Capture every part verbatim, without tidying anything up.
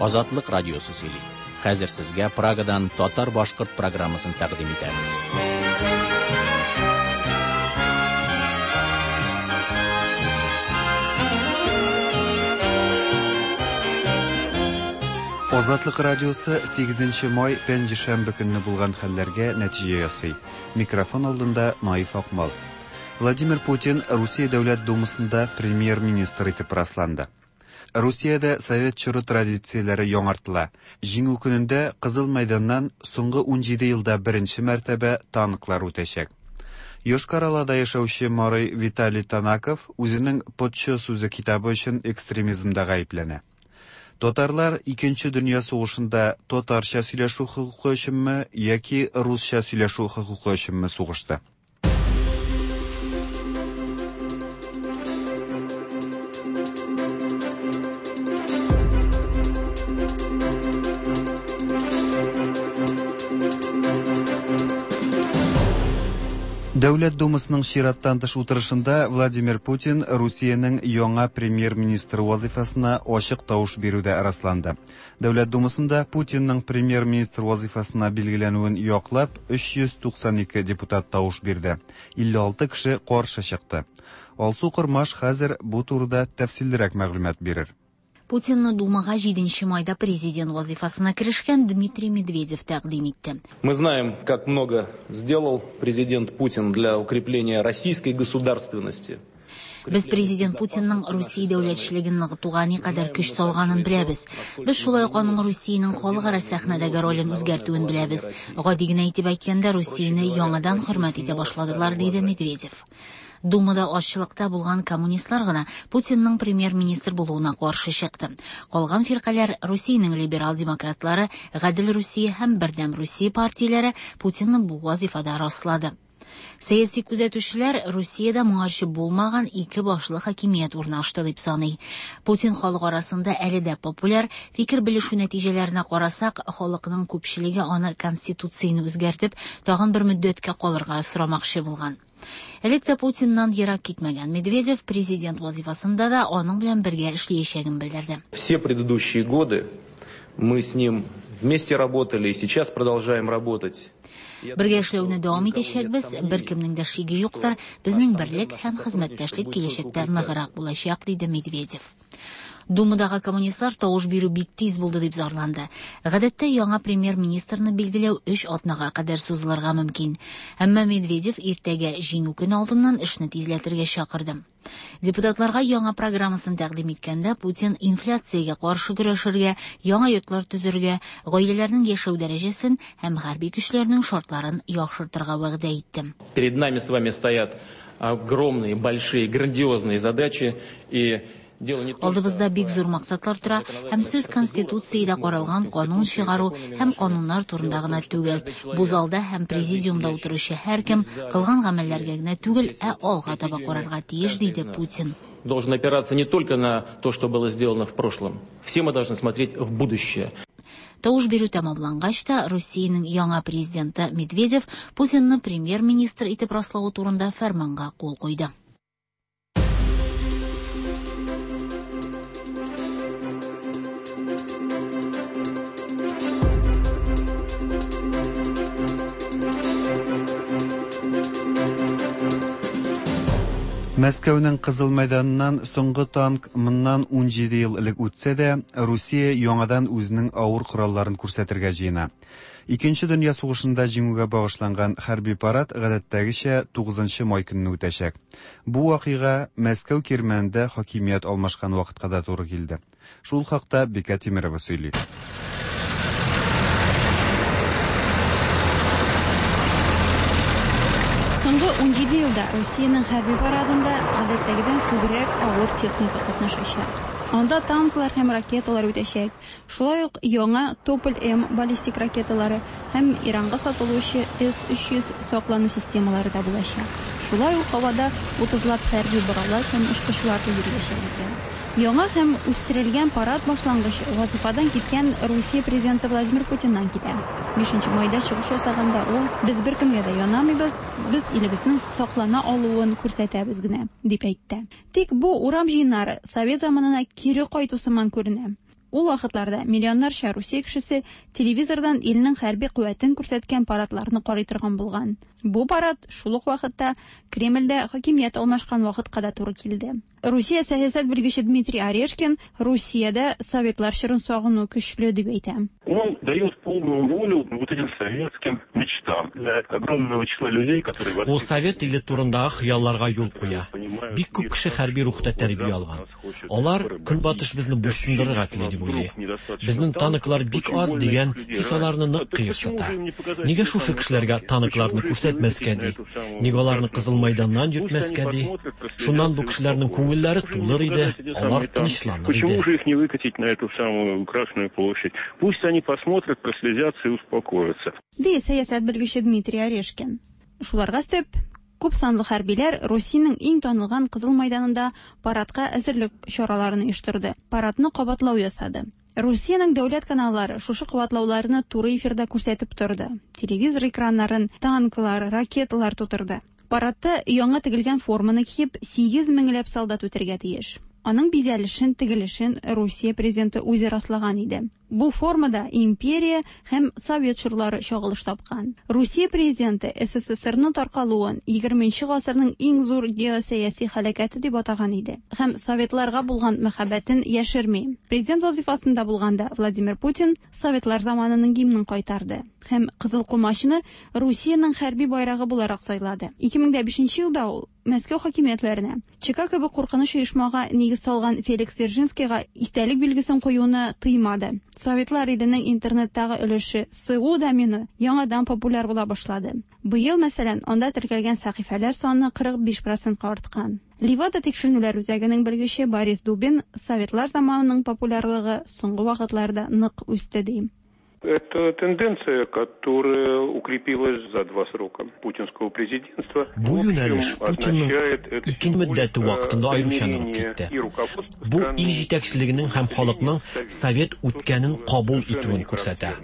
Азатлык радиосы сөйли. Хәзер сезгә Прагадан татар-башкорт программасын тәкъдим итәбез. Азатлык радиосы сигезенче май пәнҗешәмбе көнне булган хәлләргә нәтиҗә ясый. Микрофон алдында Наиф Акмал. Владимир Путин Русия Дәүләт Думасында премьер-министр итеп расланды. Русиядә совет чоры традицияләре яңартыла. Җиңү көнендә Кызыл мәйданнан соңгы унҗиде елда беренче мәртәбә танклар үтәчәк. Йошкар-Олада яшәүче Марый Виталий Танаков үзенең Потчо сүзе китабы өчен экстремизмда гаепләнә. Татарлар Икенче дөнья сугышында татарча сөйләшү хокукы өченме яки русча сөйләшү хокукы өченме сугышты? Дәүләт Думасының чираттан тыш утырышында Владимир Путин Русиянең яңа премьер-министры вазифасына ачык тавыш бирүдә расланды. Дәүләт Думасында Путинның премьер-министр вазифасына билгеләнүен яклап өч йөз туксан ике депутат тавыш бирде. илле алты кеше каршы чыкты. Алсу Кормаш хәзер бу турыда тәфсиллерәк мәгълүмат бирер. Путинны Думага җиденче майда президент вазифасына керешкән Дмитрий Медведев тәкъдим итте. Мы знаем, как много сделал президент Путин для укрепления российской государственности. Без президент Путинның Русия дәүләтчелеген ныгытуга никадәр көч салганын беләбез. Без шулай ук аның Русиянең халыкара сәхнәдәге ролен үзгәртүен беләбез. Гади генә итеп әйткәндә, Русияне яңадан хөрмәт итә башладылар, диде Медведев. Думада азчылыкта булган коммунистлар гына Путинның премьер-министр булуына каршы чыкты. Калган фиркаләр Русиянең либерал демократлары, Гадел Русия һәм Бердәм Русия партияләре Путинны бу вазифада раслады. Сәяси күзәтүчеләр Русиядә моңарчы булмаган ике башлы хакимият урнашты дип саный. Путин халык арасында әле дә популяр, фикер белешү нәтиҗәләренә карасак, халыкның күпчелеге аны конституцияне үзгәртеп, тагын бер мөддәткә калырга сорамакчы булган. Элек тә Путиннан ерак китмәгән Медведев президент вазифасында да аның белән бергә эшләячәген белдерде. Все предыдущие годы мы с ним вместе работали и сейчас продолжаем работать. Бергә эшләүне дәвам итәчәкбез, беркемнең дә шиге юктыр, безнең берлек һәм хезмәттәшлек киләчәктә ныграк булачак, диде Медведев. Думадагы коммунистлар тавыш бирү бик тиз булды дип зарланды. Гадәттә яңа премьер-министрны билгеләү өч атнага кадәр сузылырга мөмкин. Әмма Медведев иртәгә җиңү көне алдыннан эшне тизләтергә чакырды. Депутатларга яңа программасын тәкъдим иткәндә Путин инфляциягә каршы көрәшергә, яңа йортлар төзергә, гаиләләрнең яшәү дәрәҗәсен һәм хәрби көчләрнең шартларын яхшыртырга вәгъдә итте. Перед нами с вами стоят огромные, большие, грандиозные задачи и Алдыбызда бик зур максатлар тора, һәм сүз Конституциядә каралган канун чыгару һәм кануннар турында гына түгел. Бу залда һәм президиумда утыручы һәркем кылган гамәлләргә генә түгел, ә алга таба карарга тиеш, диде Путин. Должен опираться не только на то, что было сделано в прошлом. Все мы должны смотреть в будущее. Тавыш бирү тәмамлангач та Русиянең яңа президенты Медведев Путинны премьер-министр итеп раславы турында фәрманга кул куйды. Мәскәүнең Кызыл мәйданыннан соңгы танк моннан унҗиде ел элек үтсә дә, Русия яңадан үзенең авыр коралларын күрсәтергә җыена. Икенче дөнья сугышында җиңүгә багышланган хәрби парад гадәттәгечә тугызынчы май көнне үтәчәк. Бу вакыйга Мәскәү кирмәнендә хакимият алмашкан вакытка да туры килде. Шул хакта Бикә Тимирова сөйли. Соңгы унҗиде елда Русиянең хәрби парадында гадәттәгедән күбрәк авыр техника катнашачак. Анда танклар һәм ракеталар үтәчәк. Шулай ук яңа Тополь-М баллистик ракеталары һәм Иранга сатылучы С өч йөз саклану системалары да булачак. Шулай ук һавада утызлап хәрби боралар һәм очкычлар да йөриячәк икән. Яңа һәм үстерелгән парад башлангыч вазифадан киткән Русия президенты Владимир Путиннан китә. Бишенче майда чыгыш ясаганда ул без беркемгә дә янамыйбыз, без илебезнең саклана алуын күрсәтәбез генә, дип әйтте. Тик бу урам җыеннары совет заманына кире кайту сыман күренә. Ул вакытларда миллионнарча Русия кешесе телевизордан илнең хәрби куәтен күрсәткән парадларны карый торган булган. Бу парад шул ук вакытта Кремльдә хакимият алмашкан вакытка да туры килде. Русия сәясәт белгече Дмитрий Орешкин Русиядә советлар чорын сагыну көчле дип әйтә. Он дает полную волю вот этим советским мечтам для огромного числа людей, которые Ул совет иле турындагы хыялларга юл куя. Бик күп кеше хәрби рухта тәрбия алган. Алар Көнбатыш безне буйсындырырга тели дип уйлый. Безнең танклар бик аз дигән хис аларны нык кыерсыта. Нигә шушы кешеләргә танкларны күрсәтмәскә ди? Нигә аларны Кызыл майданнан йөртмәскә ди? Шуннан бу кешеләрнең күңелләре тулыр иде, алар тынычланыр иде. Почему же их не выкатить на эту самую Красную площадь? Пусть они посмотрят, прослезятся и успокоятся. Ди сәясәт белгече Дмитрий Орешкин. Шуларга өстәп, күп санлы хәрбиләр Русиянең иң танылган Кызыл майданында парадка әзерлек чараларын оештырды. Парадны кабатлау ясады. Русиянең дәүләт каналлары шушы кабатлауларны туры эфирда күрсәтеп торды. Телевизор экраннарын танклар, ракеталар тутырды. Парадта яңа тегелгән форманы киеп, сигез меңләп солдат үтәргә тиеш. Аның бизәлешен, тегелешен Русия президенты үзе раслаган иде. Бу формада империя һәм совет чорлары чагылыш тапкан. Русия президенты СССРның таркалуын егерменче гасырның иң зур геосәяси һәлакәте дип атаган иде һәм советларга булган мәхәббәтен яшерми. Президент вазифасында булганда Владимир Путин советлар заманының гимнын кайтарды һәм Кызыл комачны Русиянең хәрби байрагы буларак сайлады. ике мең дә бишенче елда ул Мәскәү хакимиятләренә ЧК кебек куркыныч оешмага нигез салган Феликс Дзержинскийга истәлек билгесен куюны тыймады. Советлар иленең интернеттагы өлеше СУ домены яңадан популяр була башлады. Быел, мәсәлән, анда теркәлгән сәхифәләр саны кырык биш процентка арткан. Левада тикшеренүләр үзәгенең белгече Борис Дубин советлар заманының популярлыгы соңгы вакытларда нык үсте ди. Это тенденция, которая укрепилась за два срока путинского президентства. Бу юнәлеш Путинның ике мөддәте вакытында аеруча ныгып китте. Бу ил җитәкчелегенең һәм халыкның совет үткәнен кабул итүен күрсәтә.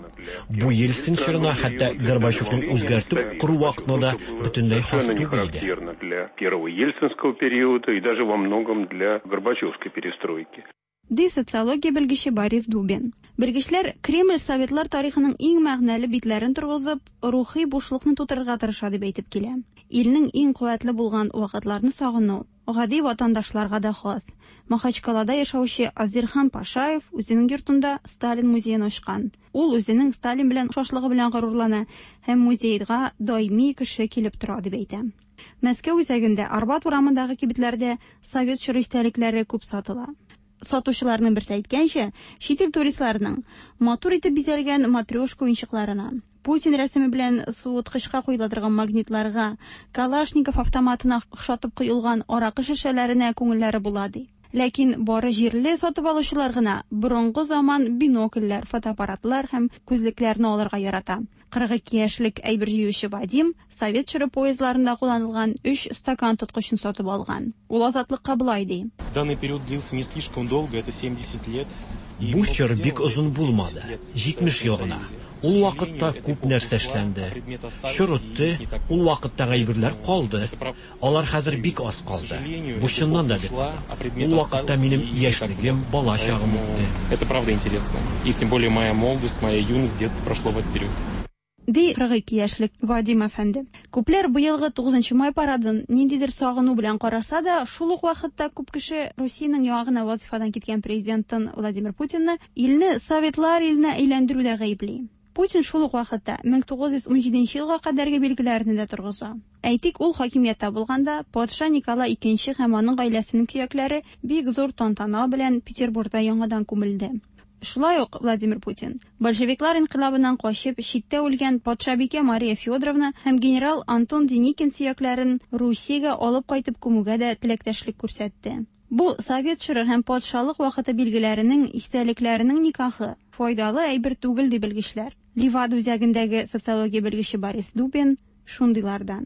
Бу Ельцин чорына, хәтта Горбачевның үзгәртеп кору вакытына да бөтенләй хас түгел иде. Для первого ельцинского периода и даже во многом для горбачевской перестройки. Ди социология белгече Борис Дубин. Белгечләр Кремль советлар тарихының иң мәгънәле битләрен торгызып, рухи бушлыкны тутырырга тырыша дип әйтеп килә. Илнең иң куәтле булган вакытларны сагыну гади ватандашларга да хас. Махачкалада яшәүче Азирхан Пашаев үзенең йортында Сталин музеен ачкан. Ул үзенең Сталин белән охшашлыгы белән горурлана һәм музейга даими кеше килеп тора дип әйтә. Мәскәү үзәгендә Арбат урамындагы кибетләрдә совет чоры истәлекләре күп сатыла. Сатучыларның берсе әйткәнчә, чит ил туристларының матур итеп бизәлгән матрешка уенчыкларына, Путин рәсеме белән суыткычка куела торган магнитларга, Калашников автоматына охшатып куелган аракы шешәләренә күңелләре була ди. Ләкин бары җирле сатып алучылар гына борынгы заман бинокльләр, фотоаппаратлар һәм күзлекләрне алырга ярата. Кырык ике яшьлек әйбер җыючы Вадим совет чоры поездларында кулланылган өч стакан тоткычын сатып алган. Ул азатлыкка болай ди. Данный период длился не слишком долго, это семьдесят лет. Бу чор бик озын булмады, җитмеш ел гына. Ул вакытта күп нәрсә эшләнде. Чор үтте, ул вакыттагы әйберләр калды. Алар хәзер бик аз калды. Бу чыннан да бик кызык. Ул вакытта минем яшьлегем, бала чагым үтте. Это правда интересно. И тем более моя молодость, моя юность, детство прошло в этот период. Ди кырык ике яшьлек Вадим әфәнде. Күпләр быелгы тугызынчы май парадын ниндидер сагыну белән караса да, шул ук вакытта күп кеше Русиянең яңа гына вазифадан киткән президентын Владимир Путинны илне советлар иленә әйләндерүдә гаепли. Путин шул ук вакытта мең тугыз йөз унҗиденче елга кадәрге билгеләрне дә торгыза. Әйтик, ул хакимияттә булганда патша Николай икенче һәм аның гаиләсенең көякләре бик зур тантана белән Петербургта яңадан күмелде. Шулай ук Владимир Путин большевиклар инкыйлабыннан качып читтә үлгән патшабикә Мария Федоровна һәм генерал Антон Деникин сөякләрен Русиягә алып кайтып күмүгә дә теләктәшлек күрсәтте. Бу совет чоры һәм патшалык вакыты билгеләренең истәлекләренең никахы файдалы әйбер түгел ди белгечләр. Левада үзәгендәге социология белгече Борис Дубин шундыйлардан.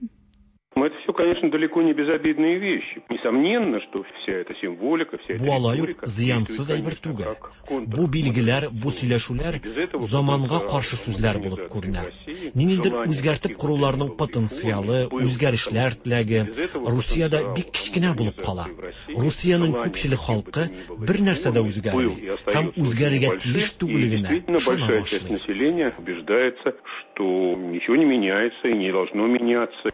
Это все, конечно, далеко не безобидные вещи. Несомненно, что вся эта символика, вся эта Бу алай ук риторика зыянсыз действует, әйбер конечно, түгел. как контр. Бу билгеләр, бу сөйләшүләр Без этого заманга потенциал каршы сүзләр булып күренә. России, Ниндидер желание үзгәртеп каких-то коруларның реформ потенциалы, был үзгәрешләр теләге Без этого Русиядә потенциал бик кечкенә булып кала. модернизации в России, Русиянең желание күпчелек каких бы халкы то ни было бер нәрсә дә реформ был үзгәрми и һәм остается очень үзгәрергә небольшим. тиеш И түгеллегенә действительно ышана большая часть башлый. населения убеждается, что ничего не меняется и не должно меняться.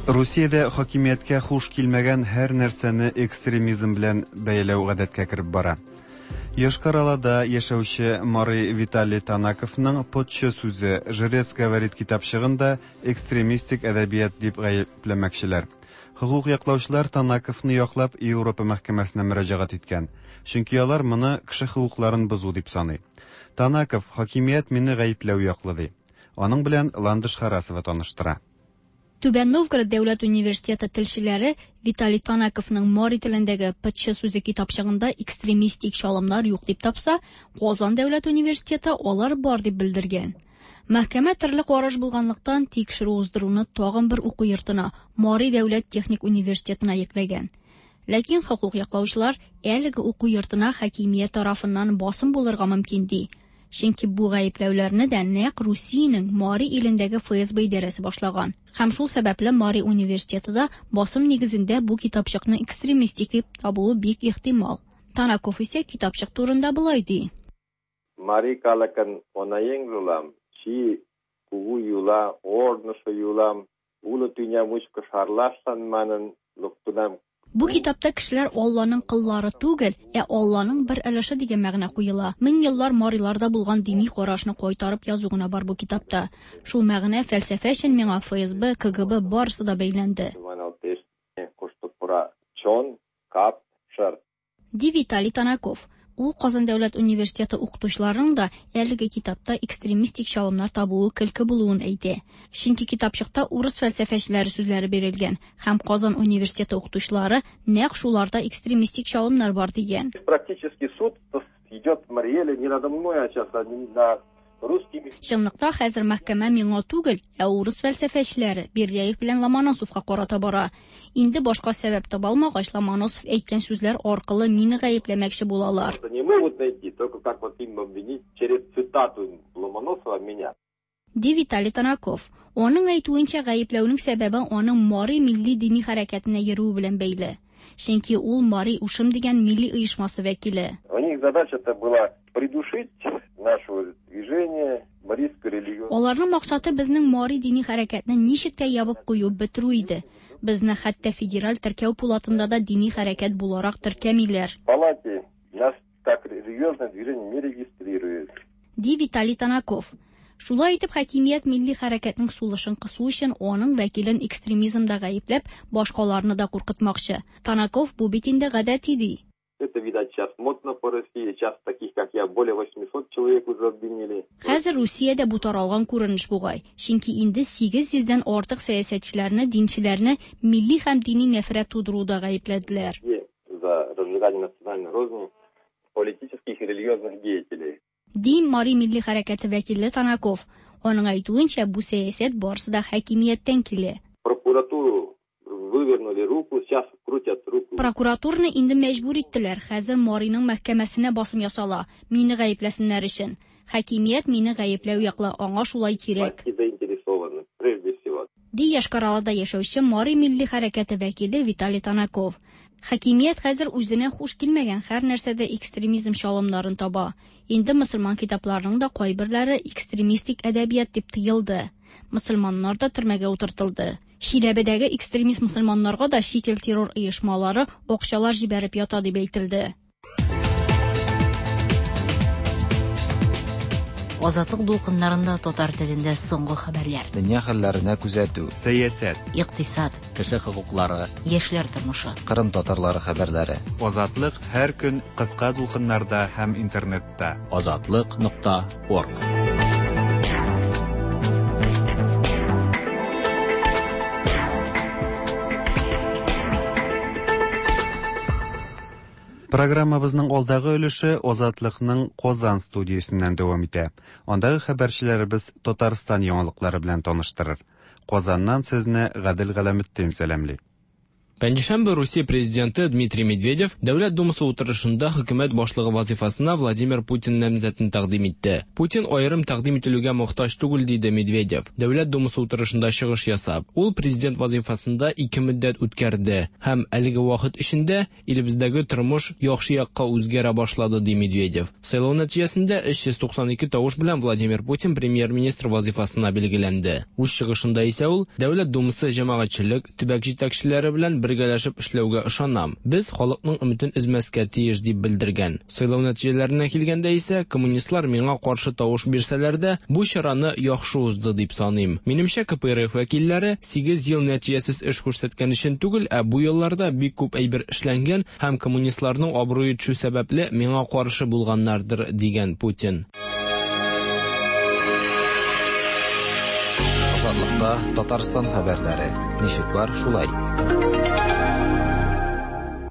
Русиядә хакимияткә хуш килмәгән һәр нәрсәне экстремизм белән бәйләү гадәткә кереп бара. Йошкар-Олада яшәүче Мари Виталий Танаковның «Потчы сүзе» «Жрец говорит» китапчыгын да экстремистик әдәбият дип гаепләмәкчеләр. Хокук яклаучылар Танаковны яклап Европа мәхкәмәсенә мөрәҗәгать иткән. Чөнки алар моны кеше хокукларын бозу дип саный. Танаков хакимият мине гаепләү яклы ди. Аның белән Ландыш Харасова таныштыра. Түбән Новгород дәүләт университеты телчеләре Виталий Танаковның мари телендәге «Пытчы сүзе» китапчыгында экстремистик чалымнар юк дип тапса, Казан дәүләт университеты алар бар дип белдергән. Мәхкәмә төрле караш булганлыктан тикшерү уздыруны тагын бер уку йортына, Мари дәүләт техник университетына йөкләгән. Ләкин хокук яклаучылар әлеге уку йортына хакимият тарафыннан басым булырга мөмкин ди. Чөнки бу гаепләүләрне дә нәкъ Русиянең Мари илендәге Ф С Б идарәсе башлаган. Һәм шул сәбәпле Мари университеты да басым нигезендә бу китапчыкны экстремистик дип табуы бик ихтимал. Танаков исә китапчык турында болай ди. Мари калыкын онаеҥжылан ший кугу юла, ожнысо юлам, уло тӱня мучко шарлашлан манын луктынам. Бу китапта кешеләр Алланың коллары түгел, ә Алланың бер өлеше дигән мәгънә куела. Мең еллар мариларда булган дини карашны кайтарып язу гына бар бу китапта. Шул мәгънә, фәлсәфә өчен миңа Ф С Б, К Г Б барысы да бәйләнде. Маналтеш, кушто пура чон, кап, шыр. Ди Виталий Танаков. Ул Казан дәүләт университеты укытучыларының да әлеге китапта экстремистик чалымнар табуы көлке булуын әйтә. Чөнки китапчыкта урыс фәлсәфәчеләре сүзләре бирелгән һәм Казан университеты укытучылары нәкъ шуларда экстремистик чалымнар бар дигән. Практически суд идет в Марий Эле не надо мной, а сейчас над русскими. Чынлыкта хәзер мәхкәмә миңа түгел, ә урыс фәлсәфәчеләре Бердяев белән Ломоносовка карата бара. Инде башка сәбәп таба алмагач, Ломоносов әйткән сүзләр аркылы мине гаепләмәкче булалар. Не могут найти, только как вот им обвинить через цитату Ломоносова меня. Ди Виталий Танаков. Аның әйтүенчә, гаепләүнең сәбәбе аның Мари милли дини хәрәкәтенә йөрүе белән бәйле. Чөнки ул Мари Ушым дигән милли оешмасы вәкиле. У них задача-то была придушить наше движение, марийскую религию. Аларның максаты безнең Мари дини хәрәкәтне ничек тә ябып кую, бетерү иде. Безне хәтта федераль теркәү пулатында да дини хәрәкәт буларак теркәмиләр. В палате нас как религиозное движение не регистрируют. Ди Виталий Танаков. Шулай итеп, хакимият милли хәрәкәтнең сулышын кысу өчен аның вәкилен экстремизмда гаепләп, башкаларны да куркытмакчы. Танаков бу бит инде гадәти ди. Это, видать, сейчас модно по России. Сейчас таких, как я, более восьмисот человек уже обвинили. Хәзер Русиядә бу таралган күренеш бугай. Чөнки инде сигез йөздән артык сәясәтчеләрне, динчеләрне милли һәм дини нәфрәт тудыруда гаепләделәр. За разжигание национальной розни политических и религиозных деятелей. Ди Мари милли хәрәкәте вәкиле Танаков. Аның әйтүенчә, бу сәясәт барысы да хакимияттән килә. Прокуратуру вывернули руку, сейчас крутят руку. Прокуратураны инде мәҗбүр иттеләр. Хәзер Мариның мәхкәмәсенә басым ясала, мине гаепләсеннәр өчен. Хакимият мине гаепләү яклы, аңа шулай кирәк. Власти заинтересованы, прежде всего. Ди Йошкар-Олада яшәүче Мари милли хәрәкәте вәкиле Виталий Танаков. Хакимият хәзер үзенә хуш килмәгән һәр нәрсәдә экстремизм чалымнарын таба. Инде мөселман китапларының да кайберләре экстремистик әдәбият дип тыелды. Мөселманнар да төрмәгә утыртылды. Чиләбедәге экстремист мөселманнарга да чит ил террор оешмалары акчалар җибәреп ята дип әйтелде. Азатлык дулкыннарында татар телендә соңгы хәбәрләр. Дөнья хәлләренә күзәтү. Сәясәт. Икътисад, Кеше хокуклары, яшьләр тормышы. Кырым татарлары хәбәрләре. Азатлык һәр көн кыска дулкыннарда һәм интернетта. Азатлык нокта орг. Программабызның алдагы өлеше Азатлыкның Казан студиясеннән дәвам итә. Андагы хәбәрчеләребез Татарстан яңалыклары белән таныштырыр. Казаннан сезне Гадел Галәметдин сәламли. Пәнҗешәмбе Русия президенты Дмитрий Медведев Дәүләт Думасы утырышында хөкүмәт башлыгы вазифасына Владимир Путин намзәтен тәкъдим итте. Путин аерым тәкъдим ителүгә мохтаҗ түгел, диде Медведев. Дәүләт Думасы утырышында чыгыш ясап, ул президент вазифасында ике мөддәт үткәрде һәм әлеге вакыт эчендә илебездәге тормыш яхшы якка үзгәрә башлады, ди Медведев. Сайлау нәтиҗәсендә өч йөз туксан ике тавыш белән Владимир Путин премьер-министр вазифасына билгеләнде. Үз чыгышында исә ул Дәүләт Думасы җәмәгатьчелек, төбәк җитәкчеләре белән бергәләшеп эшләүгә ышанам. Без халыкның өметен өзмәскә тиеш, дип белдергән. Сайлау нәтиҗәләренә килгәндә исә, коммунистлар миңа каршы тавыш бирсәләр дә, бу чараны яхшы узды дип саныйм. Минемчә, К П Р Ф вәкилләре сигез ел нәтиҗәсез эш күрсәткән өчен түгел, ә бу елларда бик күп әйбер эшләнгән һәм коммунистларның абруе төшү сәбәпле миңа каршы булганнардыр, дигән Путин. Азатлыкта Татарстан хәбәрләре. Ничек бар, шулай.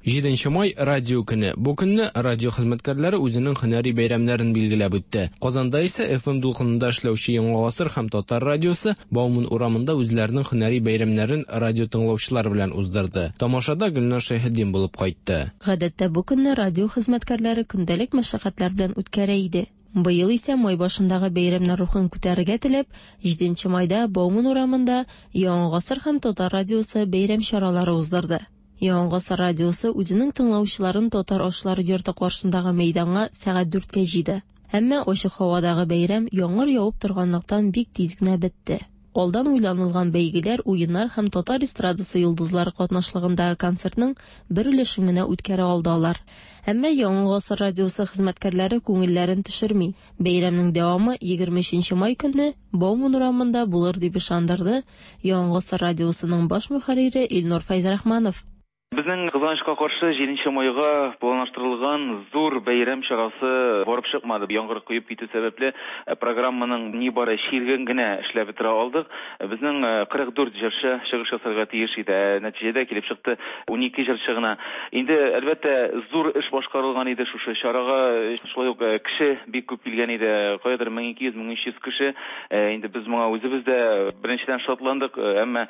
Җиденче май радио көне. Бу көнне радио хезмәткәрләре үзенең һөнәри бәйрәмнәрен билгеләп үтте. Казанда исә F M дулкынында эшләүче Яңа Гасыр һәм Татар радиосы Бауман урамында үзләренең һөнәри бәйрәмнәрен радио тыңлаучылар белән уздырды. Тамашада Гөлнар Шәйхетдин булып кайтты. Гадәттә бу көнне радио хезмәткәрләре көндәлек мәшәкатьләр белән үткәрә иде. Быел исә май башындагы бәйрәмнәр рухын күтәрергә теләп, җиденче майда Бауман урамында Яңа Гасыр һәм Татар радиосы бәйрәм чаралары уздырды. Яңа Гасыр радиосы үзенең тыңлаучыларын Татар ашлары йорты каршындагы мәйданга сәгать дүрткә җыйды. Әмма ачык һавадагы бәйрәм яңгыр явып торганлыктан бик тиз генә бетте. Алдан уйланылган бәйгеләр, уеннар һәм татар эстрадасы йолдызлары катнашлыгындагы концертның бер өлешен генә үткәрә алды алар. Әмма Яңа Гасыр радиосы хезмәткәрләре күңелләрен төшерми. Бәйрәмнең дәвамы егерме өченче май көнне Бауман урамында булыр дип ышандырды Яңа Гасыр радиосының баш мөхәррире Илнур Фәйзрахманов. Безнең кызганычка каршы җиденче майга планлаштырылган зур бәйрәм чарасы барып чыкмады. Яңгыр коеп китү сәбәпле программаның нибары чиреген генә эшләп бетерә алдык. Безнең кырык дүрт җырчы чыгыш ясарга тиеш иде. Нәтиҗәдә килеп чыкты унике җырчы гына. Инде әлбәттә зур эш башкарылган иде шушы чарага. Шулай ук кеше бик күп килгән иде. Каядыр мең ике йөз, мең өч йөз кеше. Инде без моңа үзебез дә беренчедән шатландык, әмма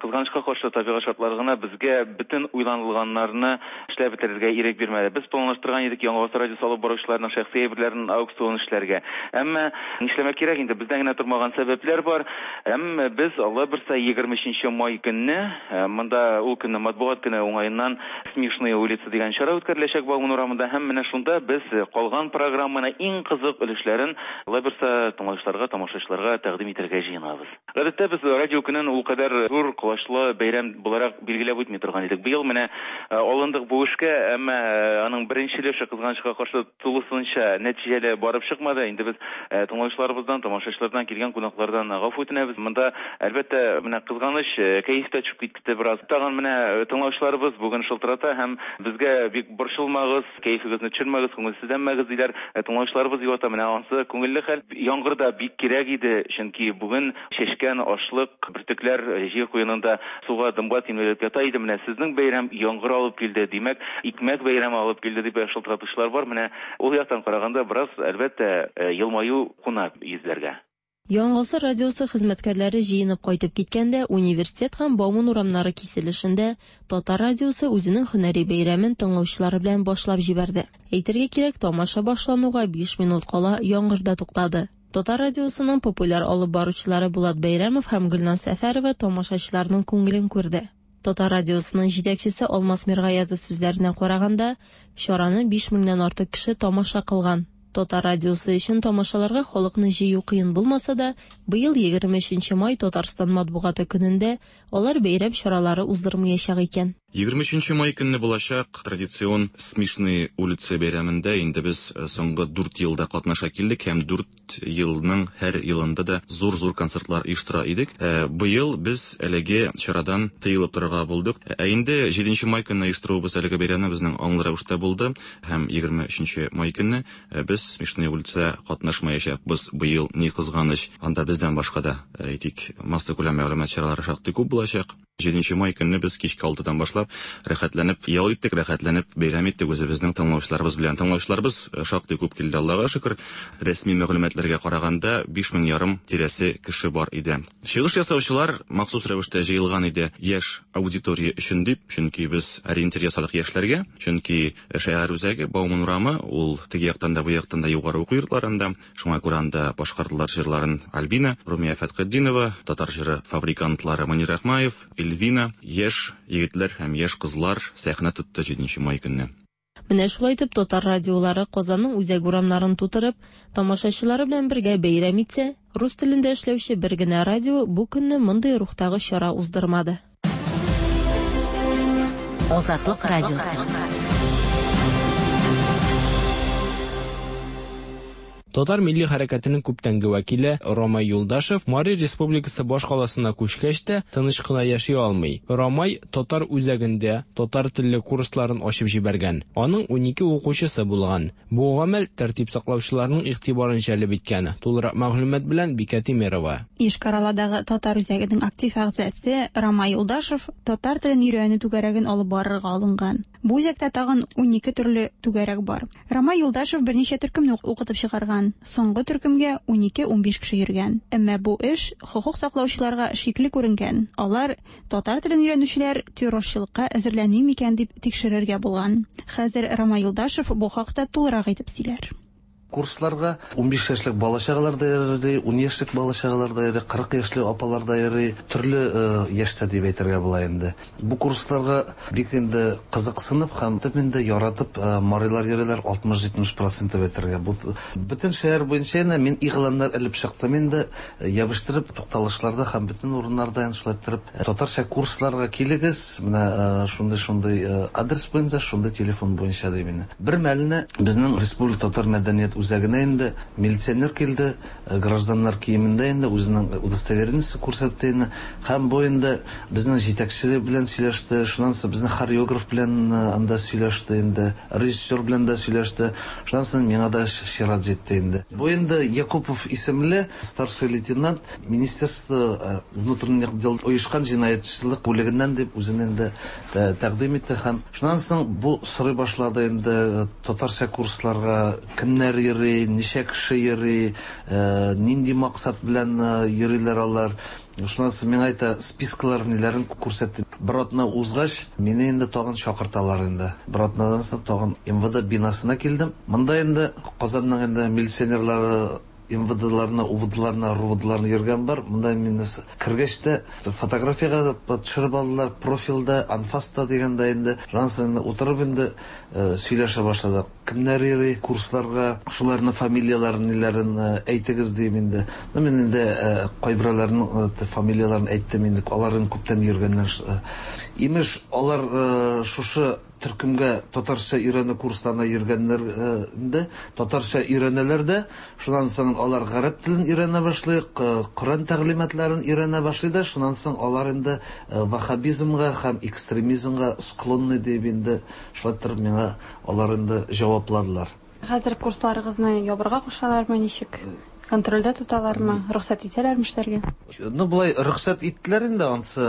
кызганычка каршы табигать шартлары гына безгә бөтен уйланылганнарны эшләп бетерергә ирек бирмәде. Без планлаштырган идек Яңа Гасыр радиосы алып баручыларның шәхси әйберләрен аукцион эшләргә. Әмма нишләмәк кирәк инде, бездән генә тормаган сәбәпләр бар. Әмма без Алла бирсә егерме өченче май көнне, монда ул көнне матбугат көне уңаеннан Смешные улицы дигән чара үткәреләчәк Бауман урамында, һәм менә шунда без калган программаны иң кызык өлешләрен Алла бирсә тыңлаучыларга, тамашачыларга тәкъдим итәргә җыенабыз. Гадәттә без радио көнен ул кадәр зур колачлы бәйрәм буларак билгеләп үтми торган идек. Быел менә алындык бу эшкә, әмма аның беренче өлеше кызганычка каршы тулысынча нәтиҗәле барып чыкмады. Инде без тыңлаучыларыбыздан, тамашачылардан, килгән кунаклардан гафу үтенәбез. Монда әлбәттә менә кызганыч кәеф тә төшеп китте бераз. Тагын менә тыңлаучыларыбыз бүген шылтырата һәм безгә бик борчылмагыз, кәефегезне төшермәгез, күңелсезләнмәгез диләр. Тыңлаучыларыбыз юата, менә ансы күңелле хәл. Яңгыр да бик кирәк иде, чөнки бүген чәчкән ашлык бөртекләр җир куенында суга дымга тимелеп ята иде. Менә сезнең бәйрәм яңгыр алып килде, димәк, икмәк бәйрәме алып килде дип шылтыратучылар бар. Менә ул яктан караганда бераз әлбәттә елмаю куна йөзләргә. Яңа Гасыр радиосы хезмәткәрләре җыенып кайтып киткәндә университет һәм Бауман урамнары киселешендә Татар радиосы үзенең һөнәри бәйрәмен тыңлаучылары белән башлап җибәрде. Әйтергә кирәк, тамаша башлануга биш минут кала яңгыр да туктады. Татар радиосының популяр алып баручылары Булат Бәйрәмов һәм Гөлназ Сәфәрова тамашачыларның күңелен күрде. Татар радиосының җитәкчесе Алмаз Миргаязов сүзләренә караганда, чараны биш меңнән артык кеше тамаша кылган. Татар радиосы өчен тамашаларга халыкны җыю кыен булмаса да, быел егерме өченче май Татарстан матбугаты көнендә алар бәйрәм чаралары уздырмаячак икән. Егерме өченче май көнне булачак традицион Смешные улицы бәйрәмендә инде без соңгы дүрт елда катнаша килдек һәм дүрт елның һәр елында да зур-зур концертлар оештыра идек. Быел без әлеге чарадан тыелып торырга булдык. Ә инде җиденче май көнне оештыруыбыз әлеге бәйрәмне безнең аңлы рәвештә булды һәм егерме өченче май көнне без Смешные улицы катнашмаячакбыз быел, ни кызганыч. Анда без Бездән башка да, әйтик, массакүләм мәгълүмат чаралары шактый күп булачак. Җиденче май көнне без кичке алтыдан башлап рәхәтләнеп ял иттек, рәхәтләнеп бәйрәм иттек үзебезнең тыңлаучыларыбыз белән. Тыңлаучыларыбыз шактый күп килде, Аллага шөкер. Рәсми мәгълүматларга караганда биш мең ярым тирәсе кеше бар иде. Чыгыш ясаучылар махсус рәвештә җыелган иде яшь аудитория өчен дип, чөнки без ориентир ясадык яшьләргә, чөнки шәһәр үзәге Бауман урамы, ул теге яктан да бу яктан да югары уку йортларында, шуңа күрә анда башкардылар җырларын Альбина, Румия Фәтхетдинова, татар җыры фабрикантлары Мөнир Әхмаев, Эльвина, яшь егетләр һәм яшь кызлар сәхнә тотты җиденче май көнне. Менә шулай итеп татар радиолары Казанның үзәк урамнарын тутырып, тамашачылары белән бергә бәйрәм итсә, рус телендә эшләүче бер генә радио бу көнне мондый рухтагы чара уздырмады. Азатлык радиосы. Татар милли хәрәкәтенең күптәнге вәкиле Ромай Юлдашев Мари Республикасы баш каласына күчкәч тә тыныч кына яши алмый. Ромай татар үзәгендә татар телле курсларын ачып җибәргән. Аның унике укучысы булган. Бу гамәл тәртип саклаучыларның игътибарын җәлеп иткән. Тулырак мәгълүмат белән Бикә Тимерова. Йошкар-Оладагы татар үзәгенең актив әгъзасы Ромай Юлдашев татар телен өйрәнү түгәрәген алып барырга алынган. Бу үзәктә тагын унике төрле түгәрәк бар. Ромай Юлдашев берничә төркемне укытып чыгарган. Соңгы төркемгә унике-унбиш кеше йөргән. Әмма бу эш хокук саклаучыларга шикле күренгән. Алар татар телен өйрәнүчеләр террорчылыкка әзерләнми микән дип тикшерергә булган. Хәзер Ромай Юлдашев бу хакта тулырак әйтеп сөйләр. Курсларга унбиш яшьлек бала чагалар да йөри, ун яшьлек бала чагалар да йөри, кырык яшьлек апалар да йөри, төрле яшьтә дип әйтергә була инде. Бу курсларга бик инде кызыксынып һәм инде яратып марилар йөриләр алтмыш-җитмеш процент дип әйтергә. Бу бөтен шәһәр буенча инде мин игъланнар элеп чыктым инде, ябыштырып тукталышларда һәм бөтен урыннарда инде шулай иттереп татарча курсларга килегез, менә шундый-шундый адрес буенча, шундый телефон буенча дип инде. Бер мәлне безнең Республика татар мәдәният үзәгенә инде милиционер килде, гражданнар киемендә инде үзенең удостоверениесе күрсәтте инде. Һәм бу инде безнең җитәкче белән сөйләште, шуннан соң безнең хореограф белән анда сөйләште инде, режиссер белән дә сөйләште. Шуннан соң миңа да чират җитте инде. Бу инде Якупов исемле старший лейтенант Министерство внутренних дел оешкан җинаятьчелек бүлегеннән дип үзен инде тәкъдим итте һәм шуннан соң бу сорый башлады инде татарча курсларга кемнәр йөри, ничә кеше йөри, нинди максат белән йөриләр алар. Шуннан соң миңа әйтә, спискалар ниләрен күрсәтте. Бер атна узгач, мине инде тагын чакырталар инде. Бер атнадан соң тагын эм вэ дэ бинасына килдем. Монда инде Казанның инде милиционерлары эм вэ дэ-ларны, у вэ дэ-ларны, эр у вэ дэ-ларны йөргән бар. Монда мине кергәч тә фотографиягә төшереп алдылар, профилдә, анфаста дигәндә инде. Шуннан соң утырып инде сөйләшә башладык. Кемнәр йөри курсларга, шуларның фамилияләрен, ниләрен әйтегез дип инде. Ну, мин инде кайберәүләрнең фамилияләрен әйттем инде, аларның күптән йөргәннәр. Имеш, алар шушы төркемгә татарча өйрәнү курсларына йөргәннәр инде, татарча өйрәнәләр дә, шуннан соң алар гарәп телен өйрәнә башлый, Коръән тәгълиматларын өйрәнә башлый да, шуннан соң алар инде ваххабизмга һәм экстремизмга склонны дип инде шулай итеп миңа алар инде җавапладылар. Хәзер курсларыгызны ябырга кушалармы, ничек? Контрольдә тоталармы, рөхсәт итәләрме эшләргә? Ну, болай рөхсәт иттеләр инде, ансы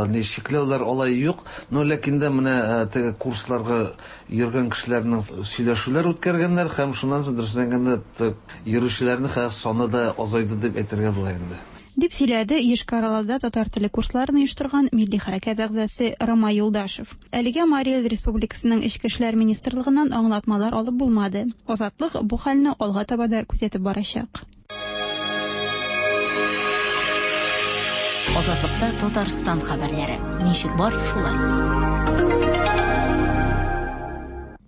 ни чикләүләр алай юк. Но ләкин дә менә теге курсларга йөргән кешеләрнең сөйләшүләр үткәргәннәр һәм шуннан соң дөресен әйткәндә йөрүчеләрнең хәзер саны да азайды дип әйтергә була инде. Дип сөйләде Йошкар-Олада татар теле курсларын оештырган милли хәрәкәт әгъзасы Ромай Юлдашев. Әлегә Мари Эл Республикасының Эчке эшләр министрлыгыннан аңлатмалар алып булмады. Азатлык бу хәлне алга таба да күзәтеп барачак. Азатлыкта Татарстан хәбәрләре. Ничек бар, шулай.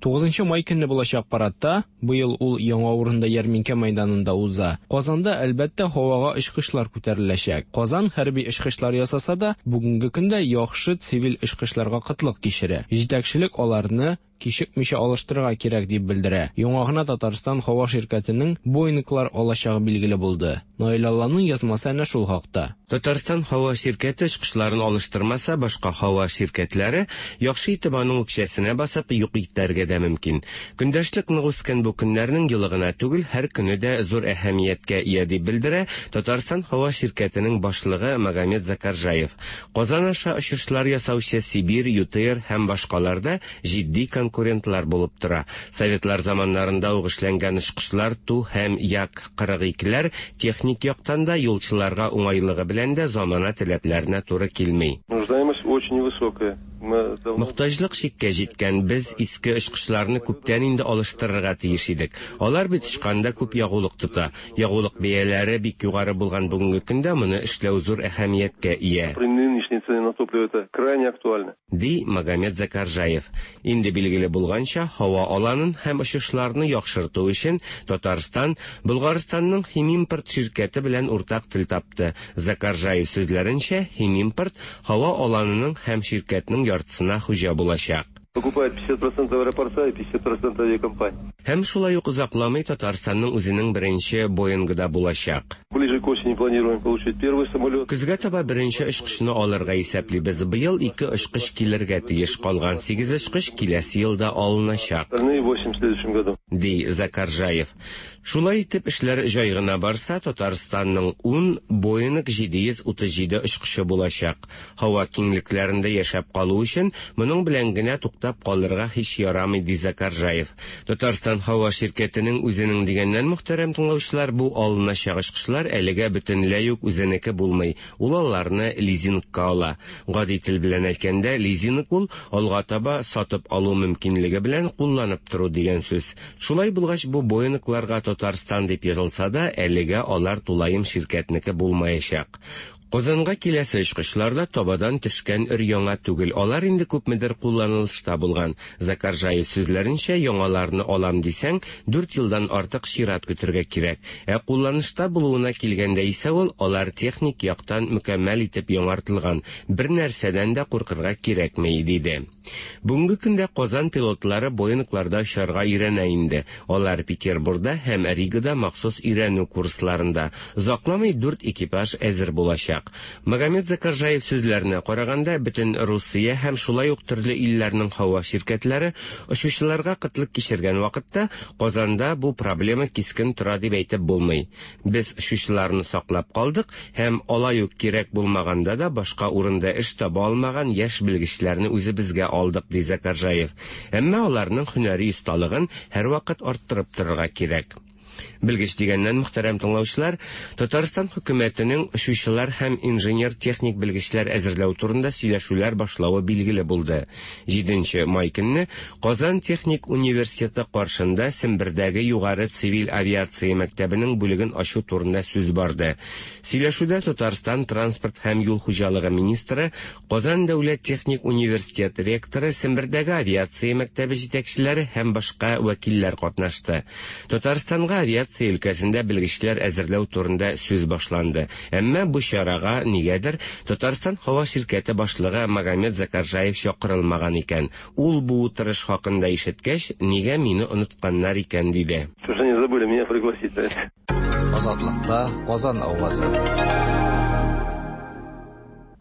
Тугызынчы май көнне булачак парадта, быел ул яңа урында ярминкә мәйданында уза. Казанда әлбәттә һавага очкычлар күтәреләчәк. Казан хәрби очкычлар ясаса да, бүгенге көндә яхшы цивиль очкычларга кытлык кичерә. Җитәкчелек аларны кичекмичә алыштырырга кирәк дип белдерә. Яңа гына Татарстан һава ширкәтенең Боинглар алачагы билгеле булды. Наил Алланың язмасы әнә шул хакта. Татарстан һава ширкәте очкычларын алыштырмаса, башка һава ширкәтләре яхшы итеп аның үкчәсенә басып юк итәргә дә мөмкин. Көндәшлек нык үскән бу көннәрнең елы гына түгел, һәр көне дә зур әһәмияткә ия дип белдерә Татарстан һава ширкәтенең башлыгы Магомед Закаржаев. Казан аша очышлар ясаучы Сибирь, ЮТР һәм башкалар да җитди конкурентлар булып тора. Советлар заманнарында ук эшләнгән очкычлар Ту һәм Як кырык икеләр техник яктан да юлчыларга уңайлыгы белән дә замана таләпләренә туры килми. Нуждаемость очень высокая. Мохтаҗлык чиккә җиткән. Без иске очкычларны күптән инде алыштырырга тиеш идек. Алар бит очканда күп ягулык тота. Ягулык бәяләре бик югары булган бүгенге көндә моны эшләү зур әһәмияткә ия. При нынешней цене на топливо это крайне актуально. Ди Магомед Закаржаев. Инде билгеле булганча, һава аланын һәм очышларны яхшырту өчен Татарстан Болгарстанның Химимпорт ширкәте белән уртак тел тапты. Закаржаев сүзләренчә, Химимпорт һава аланының һәм ширкәтнең яртысына хуҗа булачак. Покупает пятьдесят процентов аэропорта и пятьдесят процентов авиакомпании. Һәм шулай ук озакламый Татарстанның үзенең беренче Боингы да булачак. Ближе к осени планируем получить первый самолет. Көзгә таба беренче очкычны алырга исәплибез. Быел ике очкыч килергә тиеш, калган сигез очкыч киләсе елда алыначак. Остальные восемь в следующем году. Ди Закаржаев. Шулай итеп эшләр җай гына барса, Татарстанның ун Боинг җиде йөз утыз җиде очкычы булачак. Һава киңлекләрендә яшәп калу өчен моның белән генә туктап калырга һич ярамый, ди Закаржаев. Татарстан һава ширкәтенең үзенең дигәннән, мөхтәрәм тыңлаучылар, бу алыначак очкычлар әлегә бөтенләй үк үзенеке булмый. Ул аларны лизингка ала. Гади тел белән әйткәндә, лизинг ул алга таба сатып алу мөмкинлеге белән кулланып тору дигән сүз. Шулай булгач, бу Боингларга Татарстан дип язылса да, әлегә алар тулаем ширкәтнеке булмаячак. Казанга киләсе очкычлар да табадан төшкән өр-яңа түгел. Алар инде күпмедер кулланылышта булган. Закаржаев сүзләренчә, яңаларны алам дисәң, дүрт елдан артык чират көтергә кирәк. Ә кулланышта булуына килгәндә исә ул, алар техник яктан мөкәммәл итеп яңартылган. Бер нәрсәдән дә куркырга кирәкми, диде. Бүгенге көндә Казан пилотлары Боингларда очарга өйрәнә инде. Алар Петербургда һәм Ригада махсус өйрәнү курсларында. Озакламый дүрт экипаж әзер булачак. Магомед Закаржаев сүзләренә караганда, бөтен Русия һәм шулай ук төрле илләрнең һава ширкәтләре очучыларга кытлык кичергән вакытта Казанда бу проблема кискен тора дип әйтеп булмый. Без очучыларны саклап калдык һәм алай ук кирәк булмаганда да башка урында эш таба алмаган яшь белгечләрне үзебезгә алдык, ди Закаржаев. Әмма аларның һөнәри осталыгын һәрвакыт арттырып торырга кирәк. Белгеч дигәннән, мөхтәрәм тыңлаучылар, Татарстан хөкүмәтенең очучылар һәм инженер-техник белгечләр әзерләү турында сөйләшүләр башлавы билгеле булды. Җиденче май көнне Казан техник университеты каршында Сембердәге югары цивиль авиация мәктәбенең бүлеген ачу турында сүз барды. Сөйләшүдә Татарстан транспорт һәм юл хуҗалыгы министры, Казан дәүләт техник университеты ректоры, Сембердәге авиация мәктәбе җитәкчеләре һәм башка вәкилләр катнашты. Татарстанга авиация өлкәсендә белгечләр әзерләү турында сүз башланды. Әмма бу чарага нигәдер Татарстан һава ширкәте башлыгы Магомед Закаржаев чакырылмаган икән. Ул бу утырыш хакында ишеткәч, нигә мине онытканнар икән, диде. Что же они забыли меня пригласить? Азатлыкта Казан авазы.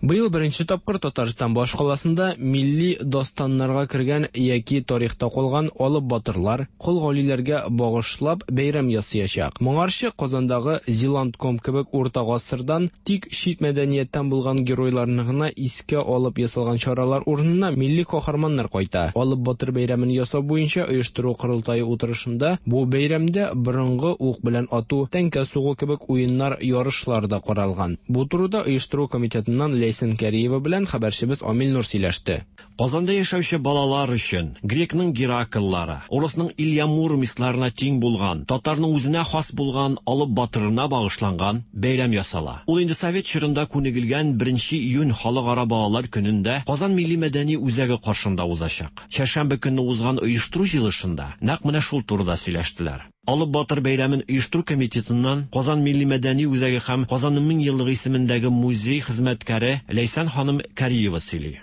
Быел беренче тапкыр Татарстан башкаласында милли дастаннарга кергән яки тарихта калган алып батырлар, кол галиләргә багышлап бәйрәм ясаячак. Моңарчы Казандагы Зилантком кебек урта гасырдан тик чит мәдәнияттән булган геройларны гына искә алып ясалган чаралар урынына милли каһарманнар кайта. Алып батыр бәйрәмен ясау буенча оештыру корылтае утырышында бу бәйрәмдә борынгы ук белән ату, тәңкә сугу кебек уеннар, ярышлар да каралган. Бу турыда оештыру комитетыннан Ләйсән Кәриева белән хәбәрчебез Амил Нур сөйләште. Казанда яшәүче балалар өчен грекның Геракллары, урысның Илья Муромецларына тиң булган, татарның үзенә хас булган алып батырына багышланган бәйрәм ясала. Ул инде совет чорында күнегелгән беренче июнь халыкара балалар көнендә Казан милли мәдәни үзәге каршында узачак. Чәршәмбе көнне узган оештыру җыелышында нәкъ менә шул турыда сөйләштеләр. Алып батыр бәйрәмен оештыру комитетыннан Казан милли мәдәни үзәге һәм Казанның мең еллыгы исемендәге музей хезмәткәре Ләйсән ханым Кариева сөйли.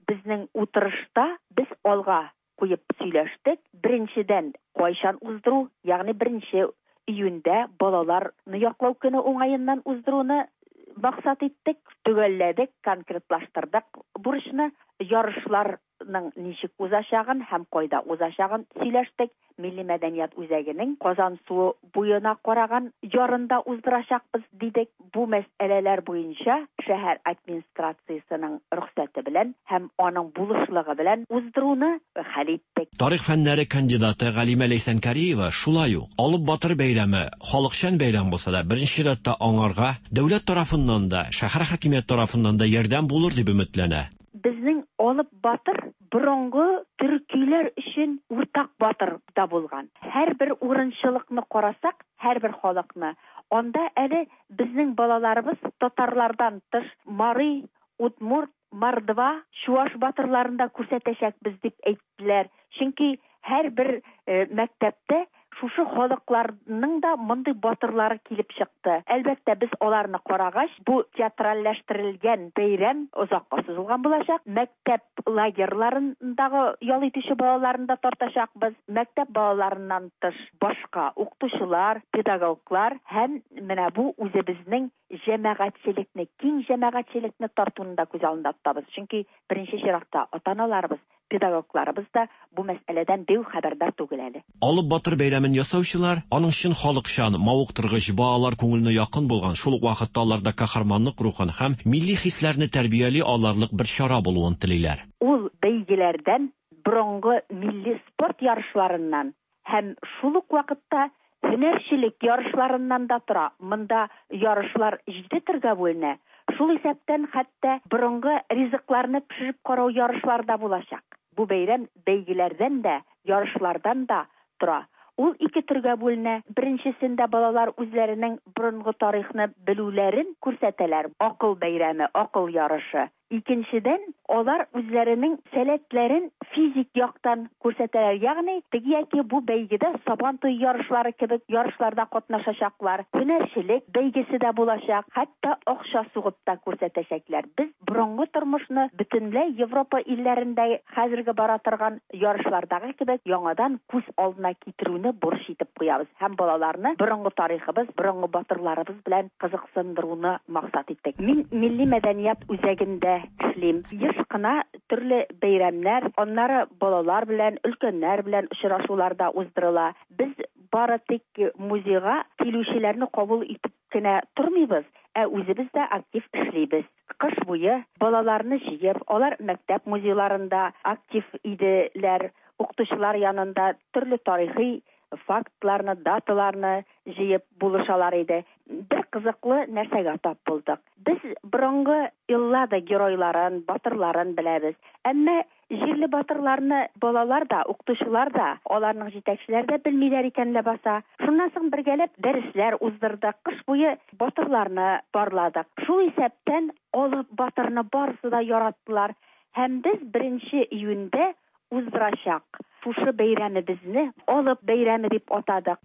Безнең утырышта без алга куеп сөйләштек. Беренчедән, кайчан уздыру, ягъни беренче июньдә балаларны яклау көне уңаеннан уздыруны максат иттек, төгәлләдек, конкретлаштырдык бурычны, ярышларның ничек узачагын һәм кайда узачагын сөйләштек. Милли мәдәният үзәгенең Казан суы буена караган ярында уздырачакбыз дидек. Бу мәсьәләләр буенча шәһәр администрациясенең рөхсәте белән һәм аның булышлыгы белән уздыруны хәл иттек. Тарих фәннәре кандидаты Галимә Ләйсәнкариева шулай ук Алып Батыр бәйрәме халыкчан бәйрәм булса да, беренче чиратта аңарга дәүләт тарафыннан да, шәһәр хакимияте тарафыннан да ярдәм булыр дип өметләнә. Безнең Алып Батыр борынгы төркиләр өчен уртак батыр да булган. Һәрбер урынчылыкны карасак, һәрбер халыкны, анда әле безнең балаларыбыз татарлардан тыш мари, удмурт, мордва, чуаш батырларын да күрсәтәчәкбез дип әйттеләр. Чөнки һәрбер мәктәптә шушы халыкларның да мондый батырлары килеп чыкты. Әлбәттә, без аларны карагач, бу театральләштерелгән бәйрәм озакка сузылган булачак. Мәктәп лагерьларындагы ял итүче балаларын да тартачакбыз. Мәктәп балаларыннан тыш башка укытучылар, педагоглар һәм менә бу үзебезнең җәмәгатьчелекне, киң җәмәгатьчелекне тартуны да күз алдында тотабыз. Чөнки беренче чиратта ата-аналарыбыз, педагогларыбыз да бу мәсьәләдән бик хәбәрдар түгел әле. Алып Батыр бәйрәмен ясаучылар аның чын халыкчан, мавыктыргыч, балалар күңеленә якын булган, шул ук вакытта аларда каһарманлык рухын һәм милли хисләрне тәрбияли алырлык бер чара булуын телиләр. Ул бәйгеләрдән, борынгы милли спорт ярышларыннан һәм шул ук вакытта һөнәрчелек ярышларыннан да тора. Монда ярышлар җиде төргә бүленә. Шул исәптән хәтта борынгы ризыкларны пешереп карау ярышлары да булачак. Бу бәйрәм бәйгеләрдән дә, ярышлардан да тора. Ул ике төргә бүленә. Беренчесендә балалар үзләренең борынгы тарихны белүләрен күрсәтәләр. Акыл бәйрәме, акыл ярышы. Икенчедән, алар үзләренең сәләтләрен физик яктан күрсәтәләр. Ягъни, теге яки бу бәйгедә Сабан туе ярышлары кебек ярышларда катнашачаклар. Һөнәрчелек бәйгесе дә булачак, хәтта акча сугып та күрсәтәчәкләр. Без борынгы тормышны бөтенләй Европа илләрендә хәзерге бара торган ярышлардагы кебек яңадан күз алдына китерүне бурыч итеп куябыз һәм балаларны борынгы тарихыбыз, борынгы батырларыбыз белән кызыксындыруны максат иттек. Мин Милли мәдәният үзәгендә эшлим. Еш кына төрле бәйрәмнәр, аннары балалар белән, өлкәннәр белән очрашулар да уздырыла. Без бары тик музейга килүчеләрне кабул итеп кенә тормыйбыз, ә үзебез дә актив эшлибез. Кыш буе балаларны җыеп, алар мәктәп музейларында актив иделәр, укытучылар янында төрле тарихи фактларны, даталарны җыеп булышалар иде. Бер кызыклы нәрсәгә тап булдык. Без борынгы Эллада геройларын, батырларын беләбез. Әмма җирле батырларны балалар да, укытучылар да, аларның җитәкчеләре дә белмиләр икән ләбаса. Шуннан соң бергәләп дәресләр уздырдык. Кыш буе батырларны барладык. Шул исәптән Алып Батырны барысы да яраттылар. Һәм без беренче июньдә уздырачак шушы бәйрәмебезне Алып бәйрәме дип атадык.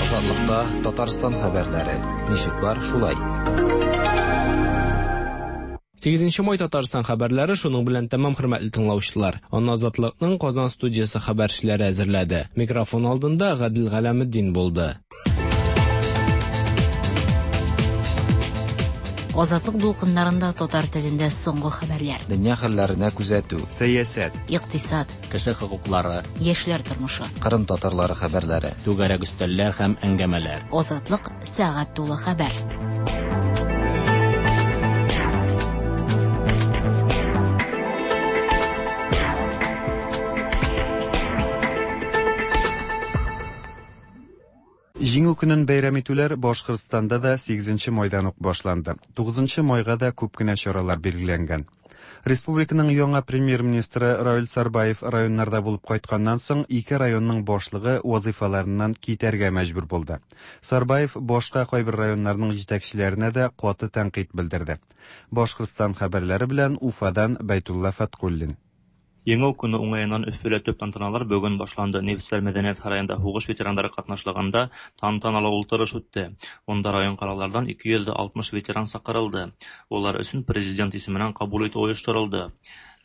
Азатлыкта Татарстан хәбәрләре. Ничек бар, шулай. Сигезенче май Татарстан хәбәрләре шуның белән тәмам, хөрмәтле тыңлаучылар. Аны Азатлыкның Казан студиясе хәбәрчеләре әзерләде. Микрофон алдында Гадил Галәметдин булды. Азатлык дулкыннарында татар телендә соңгы хәбәрләр. Дөнья хәлләренә күзәтү, сәясәт, икътисад, кеше хокуклары, яшьләр тормышы, Кырым татарлары хәбәрләре, түгәрәк өстәлләр һәм әңгәмәләр. Азатлык сәгать тулы хәбәр. Җиңү көнен бәйрәм итүләр Башкортстанда да сигезенче майдан ук башланды. Тугызынчы майга да күп кенә чаралар билгеләнгән. Республиканың яңа премьер-министры Равил Сарбаев районнарда булып кайтканнан соң ике районның башлыгы вазифаларыннан китәргә мәҗбүр булды. Сарбаев башка кайбер районнарның җитәкчеләренә дә каты тәнкыйть белдерде. Башкортстан хәбәрләре белән Уфадан Бәйтулла Фаткуллин. Еңеү көнө уңайынан Өфөлә төп тантаналар бөгөн башланды. Нефтселәр мәҙәниәт һарайында һуғыш ветерандары ҡатнашлығында тантаналы ултырыш үтте. Унда район ҡалаларҙан ике йөҙ алтмыш ветеран саҡырылды. Улар өсөн президент исеменән ҡабул итеү ойошторолдо.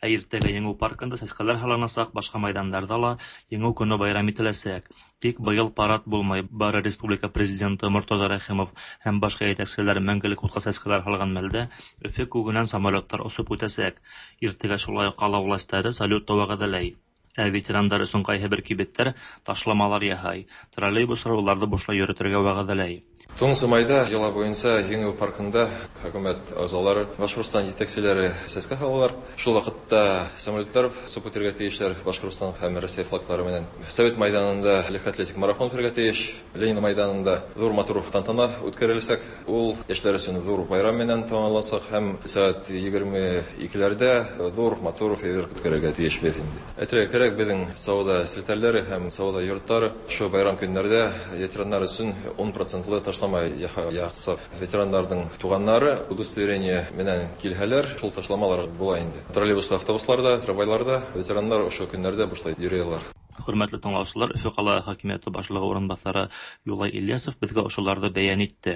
Ә иртәгә Еңеү паркында сәскәләр һалынасаҡ, башҡа майҙандарҙа ла Еңеү көнө байрам ителәсәк. Тик быйыл парад булмай. Бары республика президенты Мортаза Рәхимов һәм башҡа етәкселәр мәңгелек утҡа сәскәләр һалған мәлдә Өфө күгенән самолеттар осоп үтәсәк. Иртәгә шулай уҡ ҡала властары салют вәғәҙәләй. Ә ветерандар өсөн ҡайһы бер кибеттәр ташламалар яһай. Троллейбустар уларҙы бушлай йөрөтөргә вәғәҙәләй. Туғыҙынсы майҙа йола буйынса Еңеү паркында хөкүмәт ағзалары, Башҡортостан етәкселәре сәскә һалалар. Шул ваҡытта самолетлар осоп үтергә тейешләр Башҡортостан һәм Рәсәй флагтары менән. Совет майҙанында легкоатлетик марафон үтергә тейеш. Ленин майҙанында ҙур матур тантана үткәреләсәк. Ул йәштәр өсөн ҙур байрам менән тамамлансаҡ һәм сәғәт егерме икеләрҙә ҙур матур фейерверк үткәрергә тейешбеҙ инде. Әйтергә кәрәк, беҙҙең сауҙа селтәрләре һәм сауҙа йорттары ошо байрам көндәрҙә ветерандар өсөн ун процентлы ташлама яһасаҡ. Ветерандарҙың туғандары удостоверение менән килһәләр, шул ташламалар була инде. Троллейбуста, автобусларда, трамвайларда ветерандар ошо көндәрҙә бушлай йөрөй алар. Хөрмәтле тыңлаусылар, Өфө ҡала хакимиәте башлығы урынбаҫары Юлай Ильясов беҙгә ошоларҙы бәйән итте.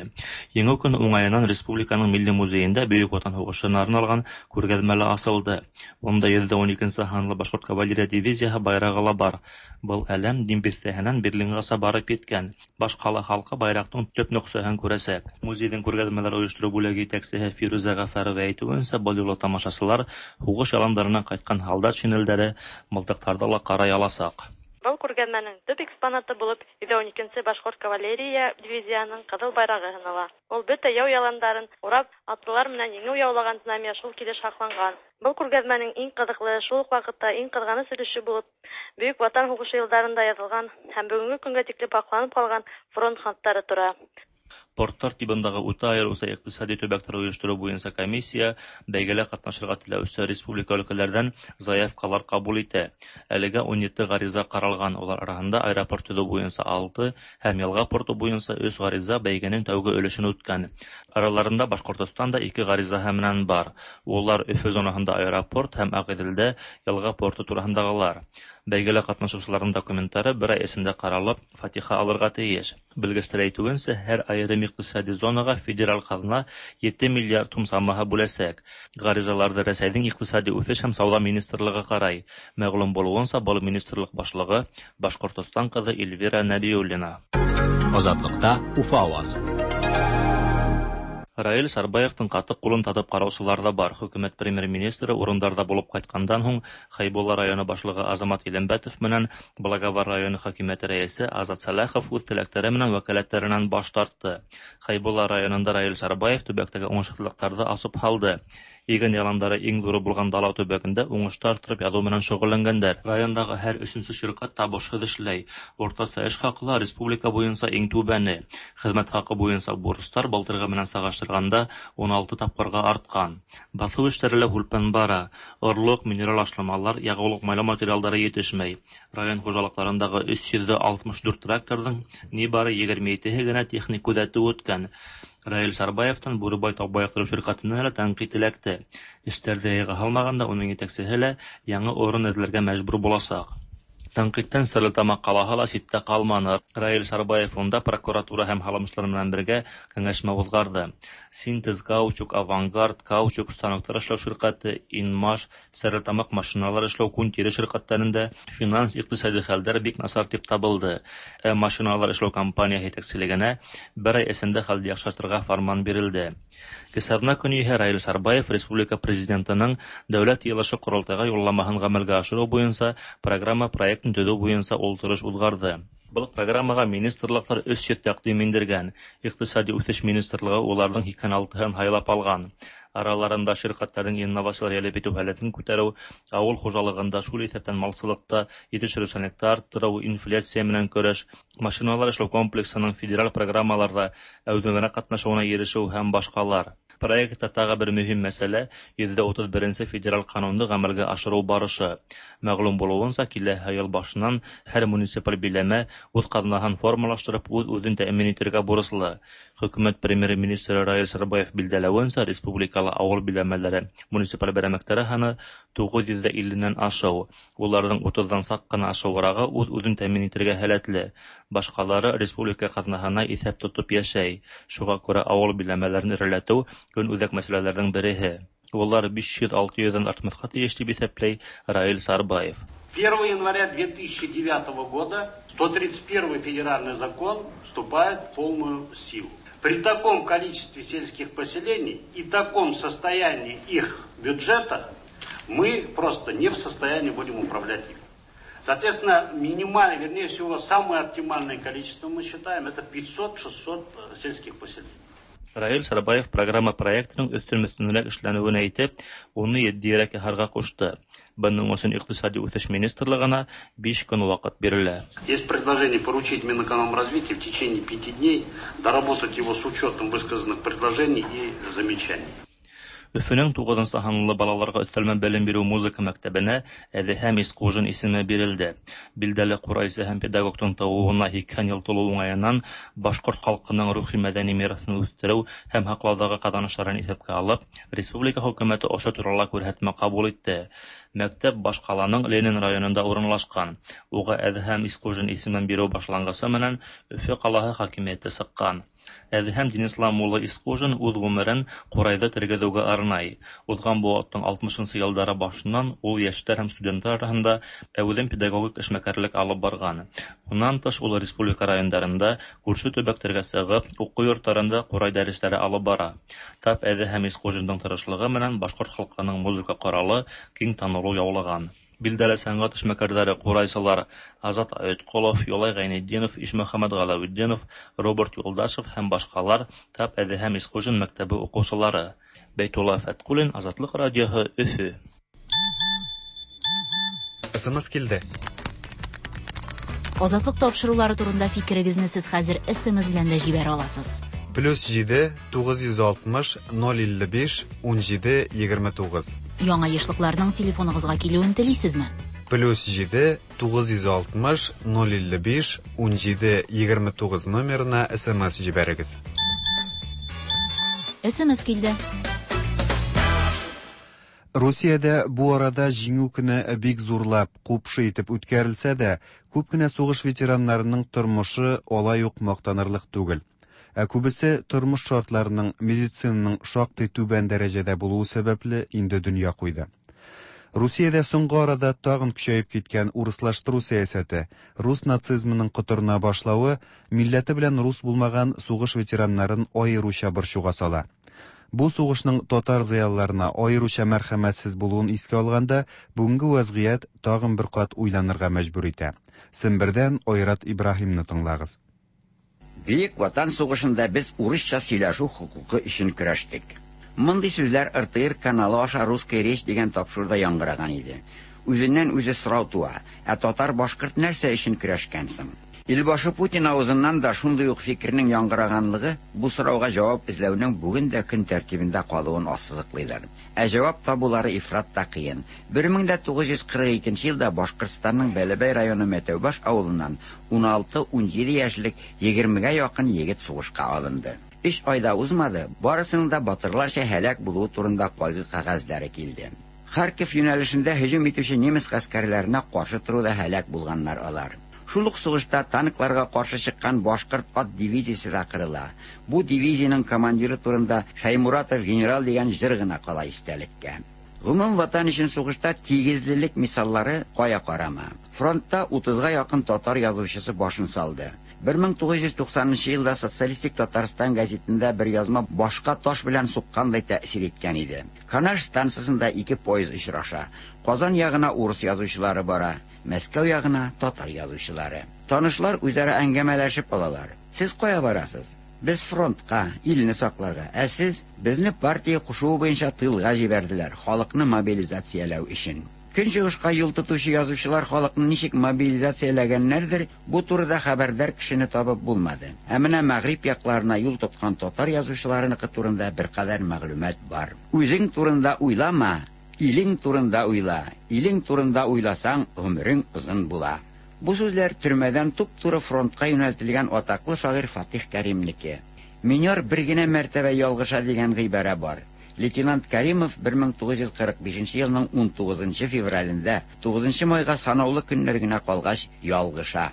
Еңеү көнө уңайынан Республиканың Милли музейында Бөйөк Ватан һуғышына арналған күргәҙмә лә асылды. Унда йөҙ ун икенсе һанлы Башҡорт кавалерия дивизияһы байрағы ла бар. Был әләм Дим биҫтәһенән Берлинғаса барып еткән. Баш ҡала халҡы байраҡтың төп нөҡсәһен күрәсәк. Музейҙың күргәҙмәләр ойоштороу бүлеге етәксеһе Фирүзә Ғәфәрова әйтеүенсә, был юлы тамашасылар һуғыш яландарынан ҡайтҡан һалдат шинелдәре, мылтыҡтарҙы ла ҡарай аласаҡ. Был күргәҙмәнең төп экспонаты булып йөҙ ун икенсе Башҡорт кавалерия дивизияһының ҡыҙыл байрағы һанала. Ул бөтә яу яландарын урап, атлылар менән еңеү яулаған знамя шул килеш һаҡланған. Был күргәҙмәнең иң ҡыҙыҡлы, шул уҡ ваҡытта иң ҡыҙғаныс өлөшө булып Бөйөк Ватан һуғышы йылдарында яҙылған һәм бөгөнгө көнгә тиклем һаҡланып ҡалған фронт хаттары тора. Порттар тибындагы үтә айырыуса иҡтисади төбәктәр ойоштороу буйынса комиссия бәйгелә ҡатнашырға теләүсе республика өлкәләрҙән заявкалар ҡабул итә. Әлегә ун ете ғариза ҡаралған, улар араһында аэропорт төҙөү буйынса алты һәм йылға порты буйынса өс ғариза бәйгенең тәүге өлөшөн үткән. Араларында Башҡортостан да ике ғаризаһы менән бар. Улар Өфө зонаһында аэропорт һәм Ағиҙелдә йылға порты тураһындағылар. Бәйгелә ҡатнашыусыларҙың документтары бер ай эсендә ҡаралып, фатиха алырға тейеш. Белгестәр әйтеүенсә, һәр айырым иҡтисади зонаға федераль ҡаҙна ете миллиард һум самаһы бүләсәк. Ғаризаларҙы Рәсәйҙең иҡтисади үҫеш һәм сауҙа министрлығы ҡарай. Мәғлүм булыуынса, был министрлыҡ башлығы Башҡортостан ҡыҙы Эльвира Нәбиуллина. Азатлыҡта Уфа ауазы. Раил Сарбаевтың ҡаты ҡулын татып ҡараусылар ҙа бар. Хөкүмәт премьер-министры урындарҙа булып ҡайтҡандан һуң Хәйбулла районы башлығы Азамат Илембәтов менән Благовар районы хакимиәте рәйесе Азат Сәләхов үҙ теләктәре менән вәкәләттәренән баш тартты. Хәйбулла районында Раил Сарбаев төбәктәге уңышһыҙлыҡтарҙы асып һалды. Иген яландары иң ҙуры булған Дала төбәгендә уңышты арттырып яҙыу менән шөғөлләнгәндәр. Райондағы һәр өсөнсө ширҡәт табышһыҙ эшләй. Уртаса эш хаҡы ла республика буйынса иң түбәне. Хеҙмәт хаҡы буйынса бурыстар былтырғы менән сағыштырғанда ун алты тапҡырға артҡан. Баҫыу эштәре лә һүлпән бара. Орлоҡ, минерал ашламалар, яғыулыҡ-майлау материалдары етешмәй. Район хужалыҡтарындағы өс йөҙ алтмыш дүрт тракторҙың ни бары егерме етеһе генә техник күҙәтеү үткән. Раил Сарбаевтан Бүребай тау байыҡтырыу ширҡәтенә лә тәнҡит эләкте. Эштәрҙе яйға һалмағанда уның етәксеһе лә яңы урын эҙләргә мәжбүр буласаҡ. Тәнҡиттән Стәрлетамаҡ ҡалаһы ла ситтә ҡалманы. Раил Сарбаев унда прокуратура һәм һалымсылар менән бергә кәңәшмә уҙғарҙы. Синтез каучук, Авангард, каучук станоктар эшләү ширҡәте, Инмаш, Стәрлетамаҡ машиналар эшләү күн тире ширҡәттәрендә финанс иҡтисади хәлдәр бик насар тип табылды. Ә машиналар эшләү компанияһы етәкселегенә бер ай эсендә хәлде яҡшыртырға фарман бирелде. Кесаҙна көнө иһә Раил Сарбаев республика президентының дәүләт йыйылышы ҡоролтайға юлламаһын ғәмәлгә ашырыу буйынса программа проектын төҙөү буйынса ултырыш уҙғарҙы. Был программаға министрлыҡтар өс йөҙ тәҡдим индергән. Иҡтисади үҫеш министрлығы уларҙың һикһән алтыһын һайлап алған. Араларында ширҡәттәрҙең инновациялар йәлеп итеү һәләтен күтәреү, ауыл хужалығында, шул иҫәптән малсылыҡта етештереүсәнлекте арттырыу, инфляция менән көрәш, машиналар эшләү комплексының федераль программаларҙа әүҙемерәк ҡатнашыуына ирешеү һәм башҡалар. Проектта тағы бер мөһим мәсьәлә йөҙҙә утыҙ беренсе федераль ҡанунды ғәмәлгә ашырыу барышы. Мәғлүм булыуынса, киләһе йыл башынан һәр муниципаль биләмә үҙ ҡаҙнаһын формалаштырып, үҙ-үҙен тәьмин итергә бурыслы. Хөкүмәт премьер-министры Раил Сарбаев билдәләүенсә, республикала ауыл биләмәләре муниципаль берәмектәре һаны туғыҙ йөҙ илленән ашыу. Уларҙың утыҙҙан саҡ ҡына ашыуырағы үҙ-үҙен тәьмин итергә һәләтле. Башҡалары республика ҡаҙнаһына иҫәп тотоп йәшәй. Шуға күрә ауыл биләмәләрен эреләтеү көн үҙәк мәсьәләләрҙең береһе. Улар биш йөҙ алты йөҙҙән артмаҫҡа тейеш тип иҫәпләй Раил Сарбаев. первого января две тысячи девятого года сто тридцать первый федеральный закон вступает в полную силу. При таком количестве сельских поселений и таком состоянии их бюджета мы просто не в состоянии будем управлять им. Соответственно, минимально, вернее всего, самое оптимальное количество мы считаем, это пятьсот-шестьсот сельских поселений. Раил Сарбаев программа проектының өҫтөн-өҫтөнөрәк эшләнеүен әйтеп, уны етдиерәк яһарға ҡушты. Бының өсөн иҡтисади үҫеш министрлығына биш көн ваҡыт бирелә. Есть предложение поручить Минэкономразвитию в течение пяти дней доработать его с учетом высказанных предложений и замечаний. Өфөнөң туғыҙынсы һанлы балаларға өҫтәлмә белем биреү музыка мәктәбенә Әҙеһәм Исҡужин исеме бирелде. Билдәле ҡурайсы һәм педагогтың тыуыуына һикһән йыл тулыу уңайынан башҡорт халҡының рухи мәҙәни мираҫын үҫтереү һәм һаҡлауҙағы ҡаҙаныштарын иҫәпкә алып, республика хөкүмәте ошо турала күрһәтмә ҡабул итте. Мәктәп баш ҡаланың Ленин районында урынлашҡан. Уға Әҙеһәм Исҡужин исемен биреү башланғысы менән Өфө ҡалаһы хакимиәте сыҡҡан. Әҙеһәм Динислам улы Исҡужин үҙ ғүмерен ҡурайҙы тергеҙеүгә арнай. Уҙған быуаттың алтмышынсы йылдары башынан ул йәштәр һәм студенттар араһында әүҙем педагогик эшмәкәрлек алып барған. Унан тыш ул республика райондарында күрше төбәктәргә сығып, уҡыу йорттарында ҡурай дәрестәре алып бара. Тап Әҙеһәм Исҡужиндың тырышлығы менән башҡорт халҡының музыка ҡоралы киң танылыу яулаған. Билдәле сәнғәт эшмәкәрҙәре ҡурайсылар Азат Айытҡолов, Юлай Ғәйнетдинов, Ишмөхәмәт Ғәләүетдинов, Роберт Юлдашев һәм башҡалар тап Әҙеһәм Исҡужин мәктәбе уҡыусылары. Бәйтулла Фәтҡуллин, Азатлыҡ радиоһы, Өфө. СМС килде. Азатлыҡ тапшырыулары турында фикерегеҙҙе һеҙ хәҙер СМС белән дә ебәрә аласыз. Плюс ете туғыҙ йөҙ алтмыш ноль илле биш ун ете егерме туғыҙ. Яңа ешлыҡларҙың телефонығыҙға килеүен теләйһегеҙме? Плюс ете туғыҙ йөҙ алтмыш ноль илле биш ун ете егерме туғыҙ номерына СМС ебәрегеҙ. СМС килде. Русиядә бу арада Җиңү көне бик зурлап, ҡупшы итеп үткәрелсә дә, күп кенә сугыш ветераннарының тормошы алай уҡ маҡтанырлыҡ түгел. Ә күбесе тормош шартларының, медицинаның шактый түбән дәрәҗәдә булуы сәбәпле инде дөнья куйды. Русиядә соңгы арада тагын көчәеп киткән урыслаштыру сәясәте, рус нацизмының котырына башлавы милләте белән рус булмаган сугыш ветераннарын аеруча борчуга сала. Бу сугышның татар зыялыларына аеруча мәрхәмәтсез булуын искә алганда, бүгенге вәзгыять тагын бер кат уйланырга мәҗбүр итә. Сембердән Айрат Ибраһимны тыңлагыз. Бөек Ватан сугышында без урысча сөйләшү хокукы өчен көрәштек. Мондый сүзләр Р Т Р каналы аша «Русская речь» дигән тапшыруда яңгыраган иде. Үзеннән үзе сорау туа, ә татар-башкорт нәрсә өчен көрәшкән соң? Илбашы Путин авызыннан да шундый ук фикернең яңгыраганлыгы бу сорауга җавап эзләүнең бүген дә көн тәртибендә калуын ассызыклыйлар. Ә җавап табулары ифрат та кыен. бер мең дә тугыз йөз кырык икенче елда Башкортстанның Бәләбәй районы Мәтәүбаш авылыннан ун алты-ун җиде яшьлек егермегә якын егет сугышка алынды. Өч айда узмады, барысының да батырларча һәлак булуы турында кайгы кәгазьләре килде. Харьков юнәлешендә һөҗүм итүче немец гаскәрләренә каршы торуда һәлак булганнар алар. Шул ук сугышта танкларга каршы чыккан башкорт ат дивизиясе дә кырыла. Бу дивизиянең командиры турында Шаймуратов генерал дигән җыр гына кала истәлеккә. Гомум ватан өчен сугышта тигезлелек мисаллары кая карама. Фронтта утызга якын татар язучысы башын салды. бер мең тугыз йөз туксанынчы елда Социалистик Татарстан газетында бер язма башка таш белән суккандай тәэсир иткән иде. Канаш станциясендә ике поезд очраша. Казан ягына урыс язучылары бара, Мәскәү ягына татар язучылары. Танышлар үзара әңгәмәләшеп алалар. Сез кая барасыз? Без фронтка, илне сакларга. Ә сез безне партия кушуы буенча тылга җибәрделәр, халыкны мобилизацияләү өчен. Көнчыгышка юл тотучы язучылар халыкны ничек мобилизацияләгәннәрдер, бу турыда хәбәрдар кешене табып булмады. Ә менә Мәгъриб якларына юл тоткан татар язучыларыныкы турында беркадәр мәгълүмат бар. Үзең турында уйлама, илең турында уйла. Илең турында уйласаң, гомерең озын була. Бу сүзләр төрмәдән туп-туры фронтка юнәлтелгән атаклы шагыйрь Фатих Кәримнеке. Минер бер генә мәртәбә ялгыша дигән гыйбарә бар. Лейтенант Каримов бер мең тугыз йөз кырык бишенче елның ун тугызынчы февралендә тугызынчы майга санаулы көннәр генә калгач ялгыша.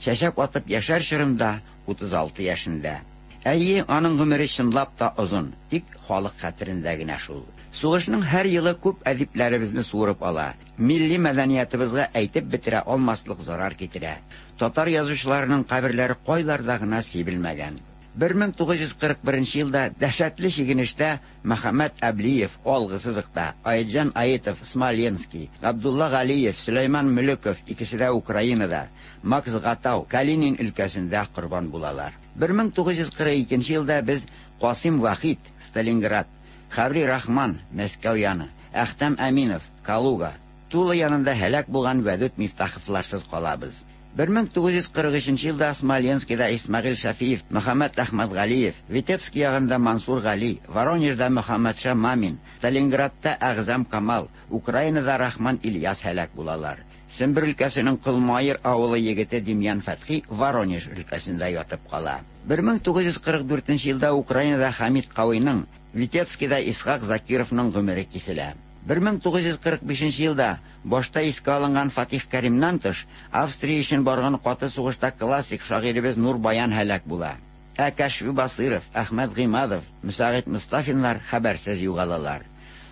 Чәчәк атып яшәр чорында утыз алты яшендә. Әйе, аның гомере чынлап та озын, тик халык хәтерендә генә шул. Сугышның һәр елы күп әдипләребезне суырып ала. Милли мәдәниятыбызга әйтеп бетерә алмаслык зарар китерә. Татар язучыларының каберләре кайларда гына сибелмәгән. бер мең тугыз йөз кырык беренче елда дәһшәтле чигенештә Мөхәммәт Әблиев алгы сызыкта, Айджан Аитов Смоленский, Габдулла Галиев, Сөләйман Мөлеков икесе дә Украинада, Макс Гатау Калинин өлкәсендә корбан булалар. бер мең тугыз йөз кырык икенче елда без Касим Вахид Сталинград, Хабри Рахман Мәскәү яны, Әхтәм Әминов Калуга, Тула янында һәлак булган Вәдүт Мифтаховларсыз калабыз. бер мең тугыз йөз кырык өченче елда Смоленскийда Исмәгыйль Шафиев, Мөхәммәт Әхмәтгалиев, Витебск ягында Мансур Гали, Воронежда Мөхәммәтша Мамин, Сталинградта Әгъзам Камал, Украинада Рахман Ильяс һәлак булалар. Сембер өлкәсенең Кылмайыр авылы егете Демьян Фәтхи Воронеж өлкәсендә ятып кала. бер мең тугыз йөз кырык дүртенче елда Украинада Хамид Кавыйның, Витебскида Исхак Закировның гомере киселә. бер мең тугыз йөз кырык бишенче елда башта искә алынган Фатих Кәримнән тыш, Австрия өчен барган каты сугышта классик шагыйребез Нур Баян һәлак була. Ә Кәшфи Басыров, Әхмәт Гыймадов, Мөсәгыйт Мустафиннар хәбәрсез югалалар.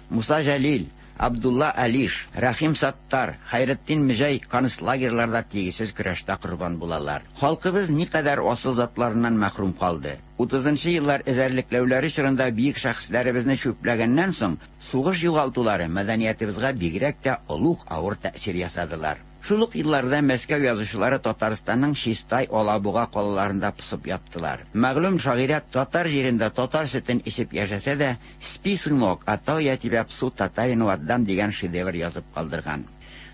Муса Җәлил, Абдулла Алиш, Рәхим Саттар, Хәйретдин Мөҗәй концлагерьларда тигезсез көрәштә корбан булалар. Халкыбыз никадәр асыл затларыннан мәхрүм калды. Утызынчы еллар эзәрлекләүләре чорында бөек шәхесләребезне чүпләгәннән соң, сугыш югалтулары мәдәниятыбызга бигрәк тә олуг авыр тәэсир ясадылар. Шул ук елларда Мәскәү язучылары Татарстанның Чистай, Алабуга калаларында пысып яттылар. Мәгълүм шагыйрә татар җирендә татар сөтен эчеп яшәсә дә, «Спи, сынок, а то я тебя псу татарину отдам» дигән шедевр язып калдырган.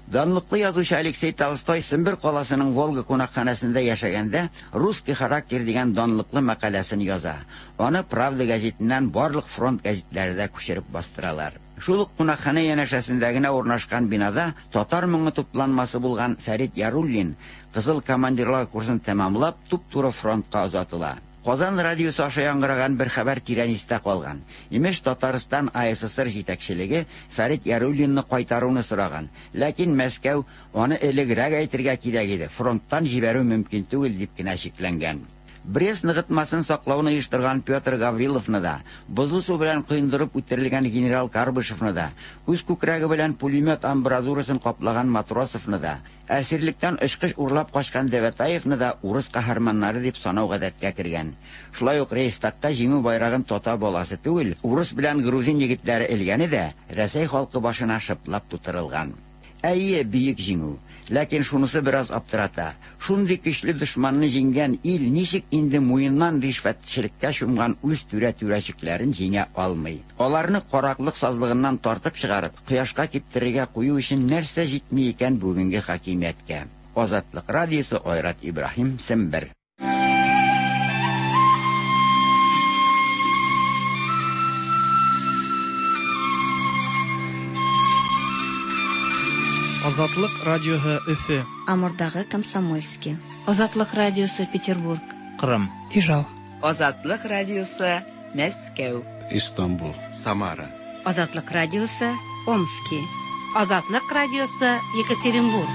Данлыклы язучы Алексей Толстой Сембер каласының Волга кунакханәсендә яшәгәндә «Русский характер» дигән данлыклы мәкаләсен яза. Аны Правда гәзитеннән барлык фронт гәзитләре дә күчереп бастыралар. Шул ук кунакханә янәшәсендә генә урнашкан бинада татар моңы тупланмасы булган Фәрит Яруллин Кызыл командирлар курсын тәмамлап, туп-туры фронтка озатыла. Казан радиосы аша яңгыраган бер хәбәр тирән истә калган. Имеш, Татарстан А Эс Эс Эр җитәкчелеге Фәрит Яруллинны кайтаруны сораган. Ләкин Мәскәү аны элегрәк әйтергә кирәк иде, фронттан җибәрү мөмкин түгел дип кенә шикләнгән. Брест ныгытмасын саклауны оештырган Петр Гавриловны да, бозлы су белән коендырып үтерелгән генерал Карбышевны да, үз күкрәге белән пулемет амбразурасын каплаган Матросовны да, әсирлектән очкыч урлап качкан Девятаевны да урыс каһарманнары дип санау гадәткә кергән. Шулай ук Рейхстагка җиңү байрагын татар баласы түгел, урыс белән грузин егетләре элгәне дә Рәсәй халкы башына шыплап тутырылган. Әйе, бөек җиңү. Ләкин шунысы бераз аптырата. Шундый көчле дошманны җиңгән ил ничек инде муеннан ришвәтчелеккә чумган үз түрә-түрәчекләрен җиңә алмый. Аларны караклык сазлыгыннан тартып чыгарып, кояшка киптерергә кую өчен нәрсә җитми икән бүгенге хакимияткә? Азатлык радиосы, Айрат Ибраһим, Сембер. Азатлык радиоһы Өфе. Амурдагы Комсомольский. Азатлык радиосы Петербург. Кырым. Ижау. Азатлык радиосы Мәскәү. Истанбул. Самара. Азатлык радиосы Омски. Азатлык радиосы Екатеринбург.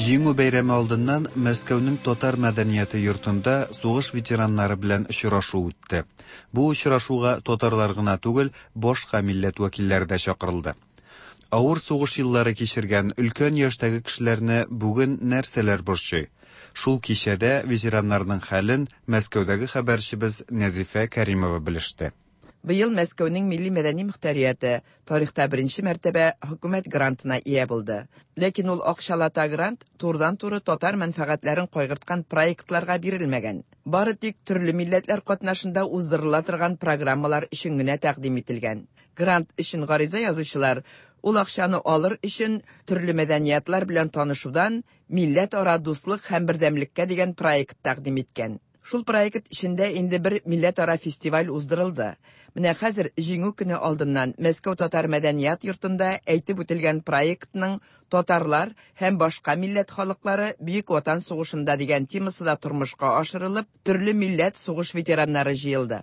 Җиңү бәйрәме алдыннан Мәскәүнең татар мәдәнияте йортында сугыш ветераннары белән очрашу үтте. Бу очрашуга татарлар гына түгел, башка милләт вәкилләре дә чакырылды. Авыр сугыш еллары кичергән өлкән яшьтәге кешеләрне бүген нәрсәләр борчый? Шул кичәдә ветераннарның хәлен Мәскәүдәге хәбәрчебез Нәзифә Кәримова белеште. Быел Мәскәүнең милли мәдәни мөхтәрияте тарихта беренче мәртәбә хөкүмәт грантына ия булды. Ләкин ул акчалата грант турыдан-туры татар мәнфәгатьләрен кайгырткан проектларга бирелмәгән. Бары тик төрле милләтләр катнашында уздырыла торган программалар өчен генә тәкъдим ителгән. Грант өчен гариза язучылар ул акчаны алыр өчен төрле мәдәниятлар белән танышудан милләтара дуслык һәм бердәмлеккә дигән проект тәкъдим иткән. Шул проект эчендә инде бер милләтара фестиваль уздырылды. Менә хәзер Җиңү көне алдыннан Мәскәү татар мәдәният йортында әйтеп үтелгән проектның татарлар һәм башка милләт халыклары Бөек Ватан сугышында дигән темасы да тормышка ашырылып, төрле милләт сугыш ветераннары җыелды.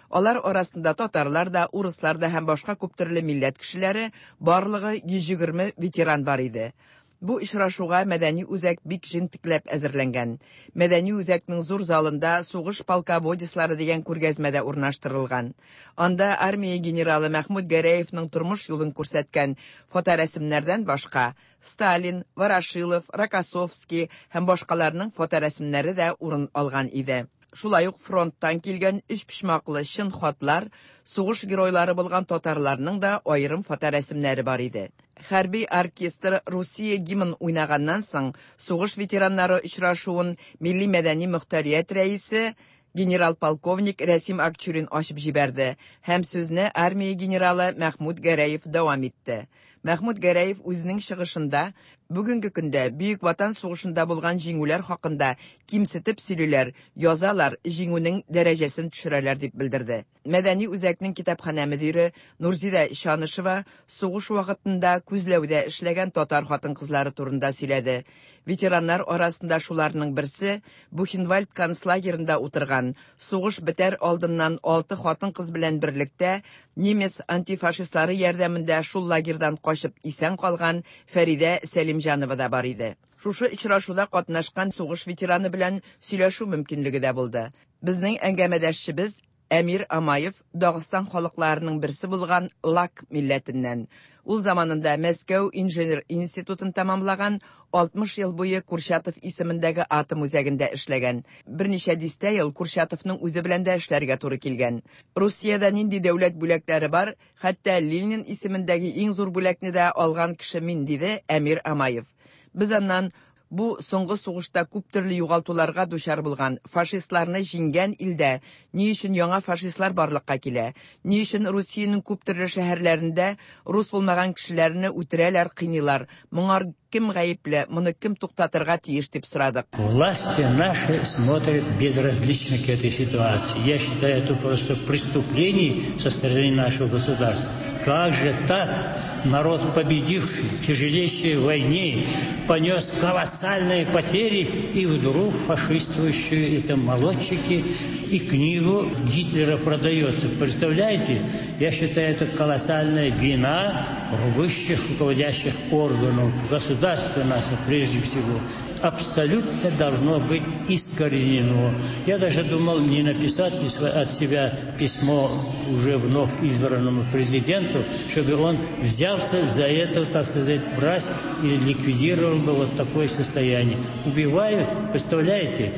Алар арасында татарлар да, урыслар да һәм башка күп төрле милләт кешеләре, барлыгы йөз егерме ветеран бар иде. Бу очрашуга мәдәни үзәк бик җентекләп әзерләнгән. Мәдәни үзәкнең зур залында сугыш полководецлары дигән күргәзмә дә урнаштырылган. Анда армия генералы Мәхмүт Гәрәевның тормыш юлын күрсәткән фоторәсемнәрдән башка Сталин, Ворошилов, Рокоссовский һәм башкаларның фоторәсемнәре дә урын алган иде. Шулай ук фронттан килгән өч почмаклы чын хатлар, сугыш геройлары булган татарларның да аерым фоторәсемнәре бар иде. Хәрби оркестр Русия гимн уйнаганнан соң сугыш ветераннары очрашуын милли мәдәни мөхтәрият рәисе генерал-полковник Рәсим Акчурин ачып җибәрде һәм сүзне армия генералы Мәхмүт Гәрәев дәвам итте. Мәхмүт Гәрәев үзенең чыгышында бүгенге көндә Бөек Ватан сугышында булган җиңүләр хакында кимсетеп сөйлиләр, язалар, җиңүнең дәрәҗәсен төшерәләр дип белдерде. Мәдәни үзәкнең китапханә мөдире Нурзидә Чанышева сугыш вакытында күзләүдә эшләгән татар хатын-кызлары турында сөйләде. Ветераннар арасында шуларның берсе Бухенвальд концлагерында утырган, сугыш бетәр алдыннан алты хатын-кыз белән берлектә немец антифашистлары ярдәмендә шул лагерьдан качып исән калган Фәридә Сәлимҗанова да бар иде. Шушы очрашуда катнашкан сугыш ветераны белән сөйләшү мөмкинлеге дә булды. Безнең әңгәмәдәшчебез Әмир Амаев Дагыстан халыкларының берсе булган Лак милләтеннән. Ул заманында Мәскәү инженер институтын тәмамлаган, алтмыш ел буе Курчатов исемендәге атом үзәгендә эшләгән. Берничә дистә ел Курчатовның үзе белән дә эшләргә туры килгән. Русиядә нинди дәүләт бүләкләре бар, хәтта Ленин исемендәге иң зур бүләкне дә алган кеше мин, диде Әмир Амаев. Без аннан бу соңгы сугышта күп төрле югалтуларга дучар булган фашистларны җиңгән илдә ни өчен яңа фашистлар барлыкка килә, ни өчен Русиянең күп төрле шәһәрләрендә рус булмаган кешеләрне үтерәләр, кыйныйлар, моңар кем гаепле, моны кем туктатырга тиеш дип сорадык. Власти наши смотрят безразлично к этой ситуации. Я считаю, это просто преступление со стороны нашего государства. Как же так? Народ, победивший в тяжелейшей войне, понес колоссальные потери, и вдруг фашистующие это молодчики, и книгу Гитлера продается. Представляете? Я считаю, это колоссальная вина высших руководящих органов государства нашего, прежде всего. Абсолютно должно быть искоренено. Я даже думал, не написать ли от себя письмо уже вновь избранному президенту, чтобы он взялся за это, так сказать, брать и ликвидировал бы вот такое состояние. Убивают, представляете,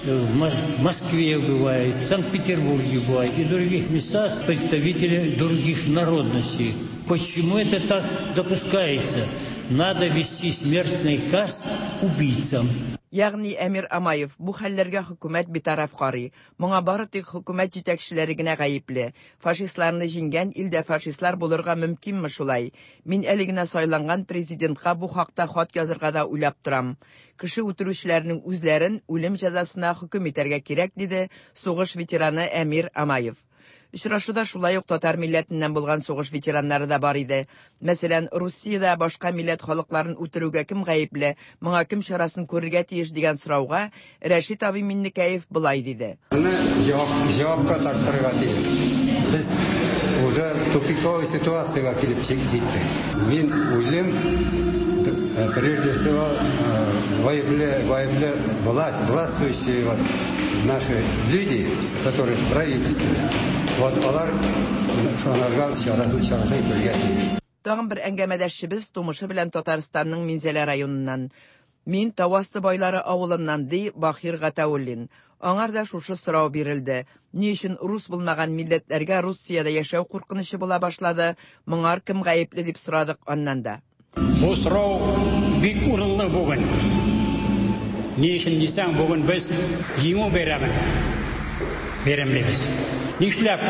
в Москве бывает, в Санкт-Петербурге бывает и в других местах представители других народностей. Почему это так допускается? Надо вести смертный каз убийцам. Ягъни Әмир Амаев бу хәлләргә хөкүмәт битараф карый. Моңа бары тик хөкүмәт җитәкчеләре генә гаепле. Фашистларны җиңгән илдә фашистлар булырга мөмкинме шулай? Мин әле генә сайланган президентка бу хакта хат язырга да уйлап торам. Кеше үтерүчеләрнең үзләрен үлем җәзасына хөкем итәргә кирәк, диде сугыш ветераны Әмир Амаев. Очрашуда шулай ук татар милләтеннән булган сугыш ветераннары да бар иде. Мәсәлән, Русиядә башка милләт халыкларын үтерүгә кем гаепле, моңа кем чарасын күрергә тиеш дигән сорауга Рәшит абый Миннекәев болай диде. Моны җавап җавапка тартырга тиеш. Без уже тупиковый ситуациягә килеп җиттек. Мин уйлыйм, прежде всего, гаепле, гаепле власть, властвующие вот наши люди, которые в правительстве. Вот алар шуңарга чарасын чарасын күрергә тиеш. Тагын бер әңгәмәдәшчебез тумышы белән Татарстанның Минзәлә районыннан. Мин Тауасты байлары авылыннан, ди Бахир Гатауллин. Аңар да шушы сорау бирелде. Ни өчен рус булмаган милләтләргә Русиядә яшәү куркынычы була башлады? Моңар кем гаепле дип сорадык аннан да. Бу сорау бик урынлы бүген. Ни өчен дисәң, бүген без Җиңү бәйрәмен бәйрәмлибез. Нишләп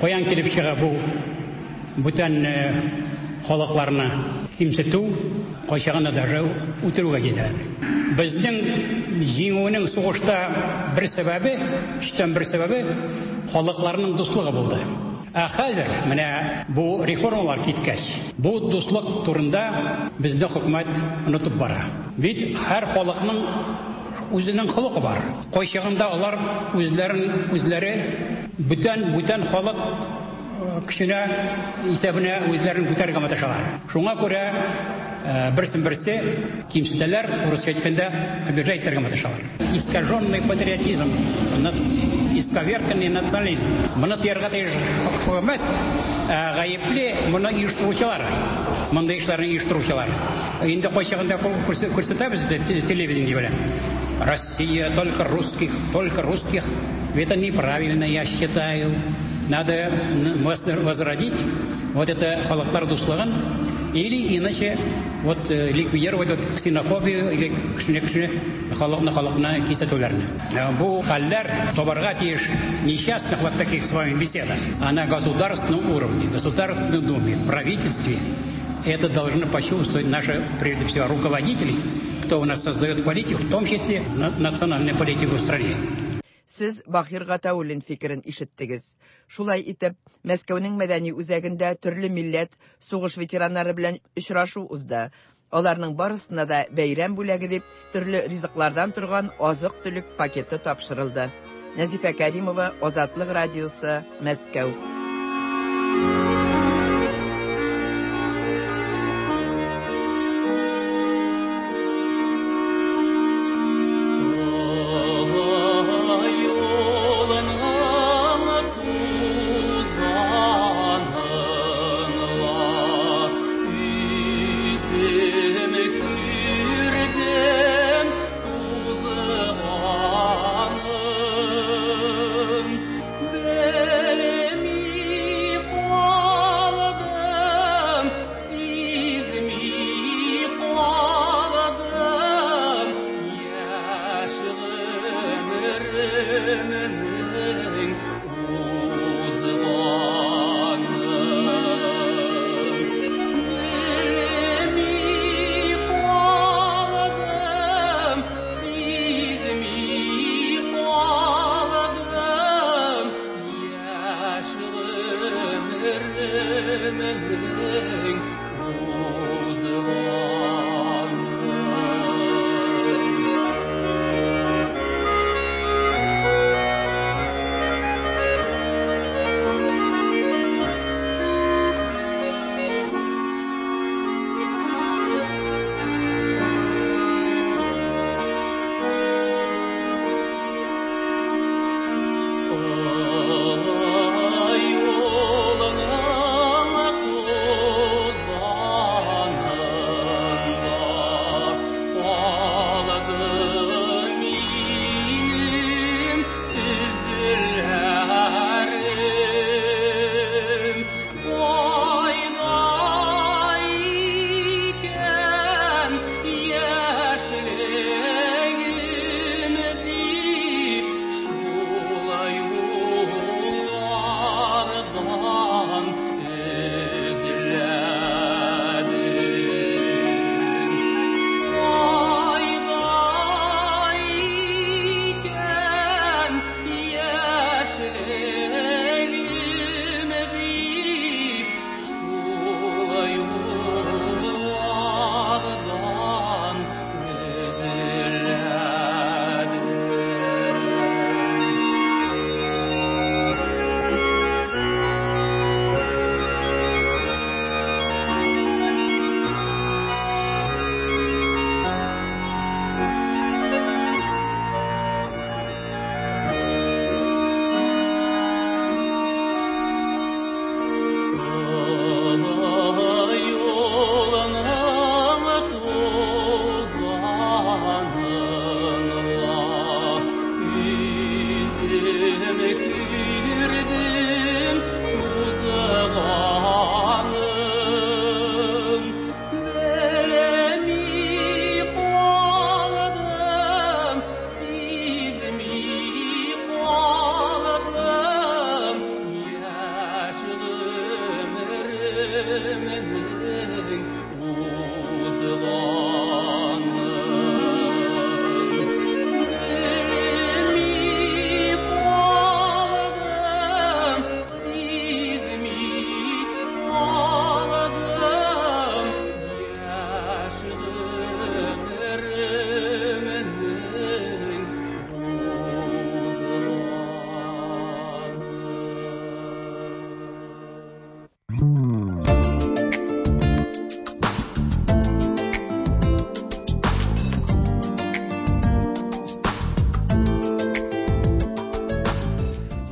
каян килеп чыга бу бүтән халыкларны кимсетү, кайчагында даже үтерүгә җитәләр. Безнең җиңүнең сугышта бер сәбәбе, өчтән бер сәбәбе халыкларның дуслыгы булды. Ә хәзер менә бу реформалар киткәч, бу дуслык турында безнең хөкүмәт онытып бара. Бит һәр халыкның үзенең холкы бар. Кайчагында алар үзләрен үзләре бүтән бүтән халык көченә исәбенә үзләрен күтәрергә маташалар. Шуңа күрә берсен берсе кимсетәләр, урысча әйткәндә, обижать итәргә маташалар. Искаженный патриотизм, исковерканный национализм. Моны тыярга тиеш хөкүмәт, гаепле моны оештыручылар. Мондый эшләрне оештыручылар. Инде кайчагында күрсәтәбез телевидение белән. Россия только русских, только русских. Это неправильно, я считаю. Надо возродить вот это халыклар дуслыгын или иначе вот ликвидировать вот ксенофобию или кешене-кешене халыкны халыкны кисәтүләрне. Бу хәлләр табарга тиеш несчастных вот таких с вами беседах, а на государственном уровне, Государственной Думе, правительстве это должны почувствовать наши, прежде всего, руководители, кто у нас создает политику, в том числе национальную политику в стране. Сез Бахир Гатауллин фикерен ишеттегез. Шулай итеп, Мәскәүнең мәдәни үзәгендә төрле милләт сугыш ветераннары белән очрашу узды. Аларның барысына да бәйрәм бүләге дип төрле ризыклардан торган азык-төлек пакеты тапшырылды. Нәзифә Кәримова, Азатлык радиосы, Мәскәү.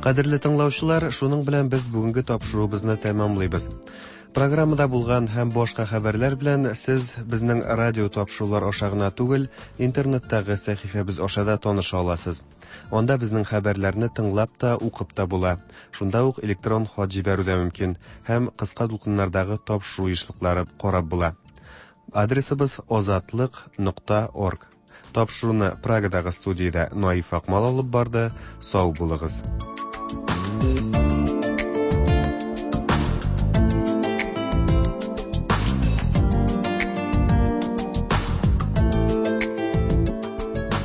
Кадерле тыңлаучылар, шуның белән без бүгенге тапшыруыбызны тәмамлыйбыз. Программада булган һәм башка хәбәрләр белән сез безнең радио тапшырулар аша гына түгел, интернеттагы сәхифәбез аша да таныша аласыз. Анда безнең хәбәрләрне тыңлап та, укып та була. Шунда ук электрон хат җибәрү дә мөмкин һәм кыска дулкыннардагы тапшыру ешлыклары карап була. Адресыбыз озатлык нокта орг. Тапшыруны Прагадагы студиядә Наиф Акмал алып барды. Сау булыгыз.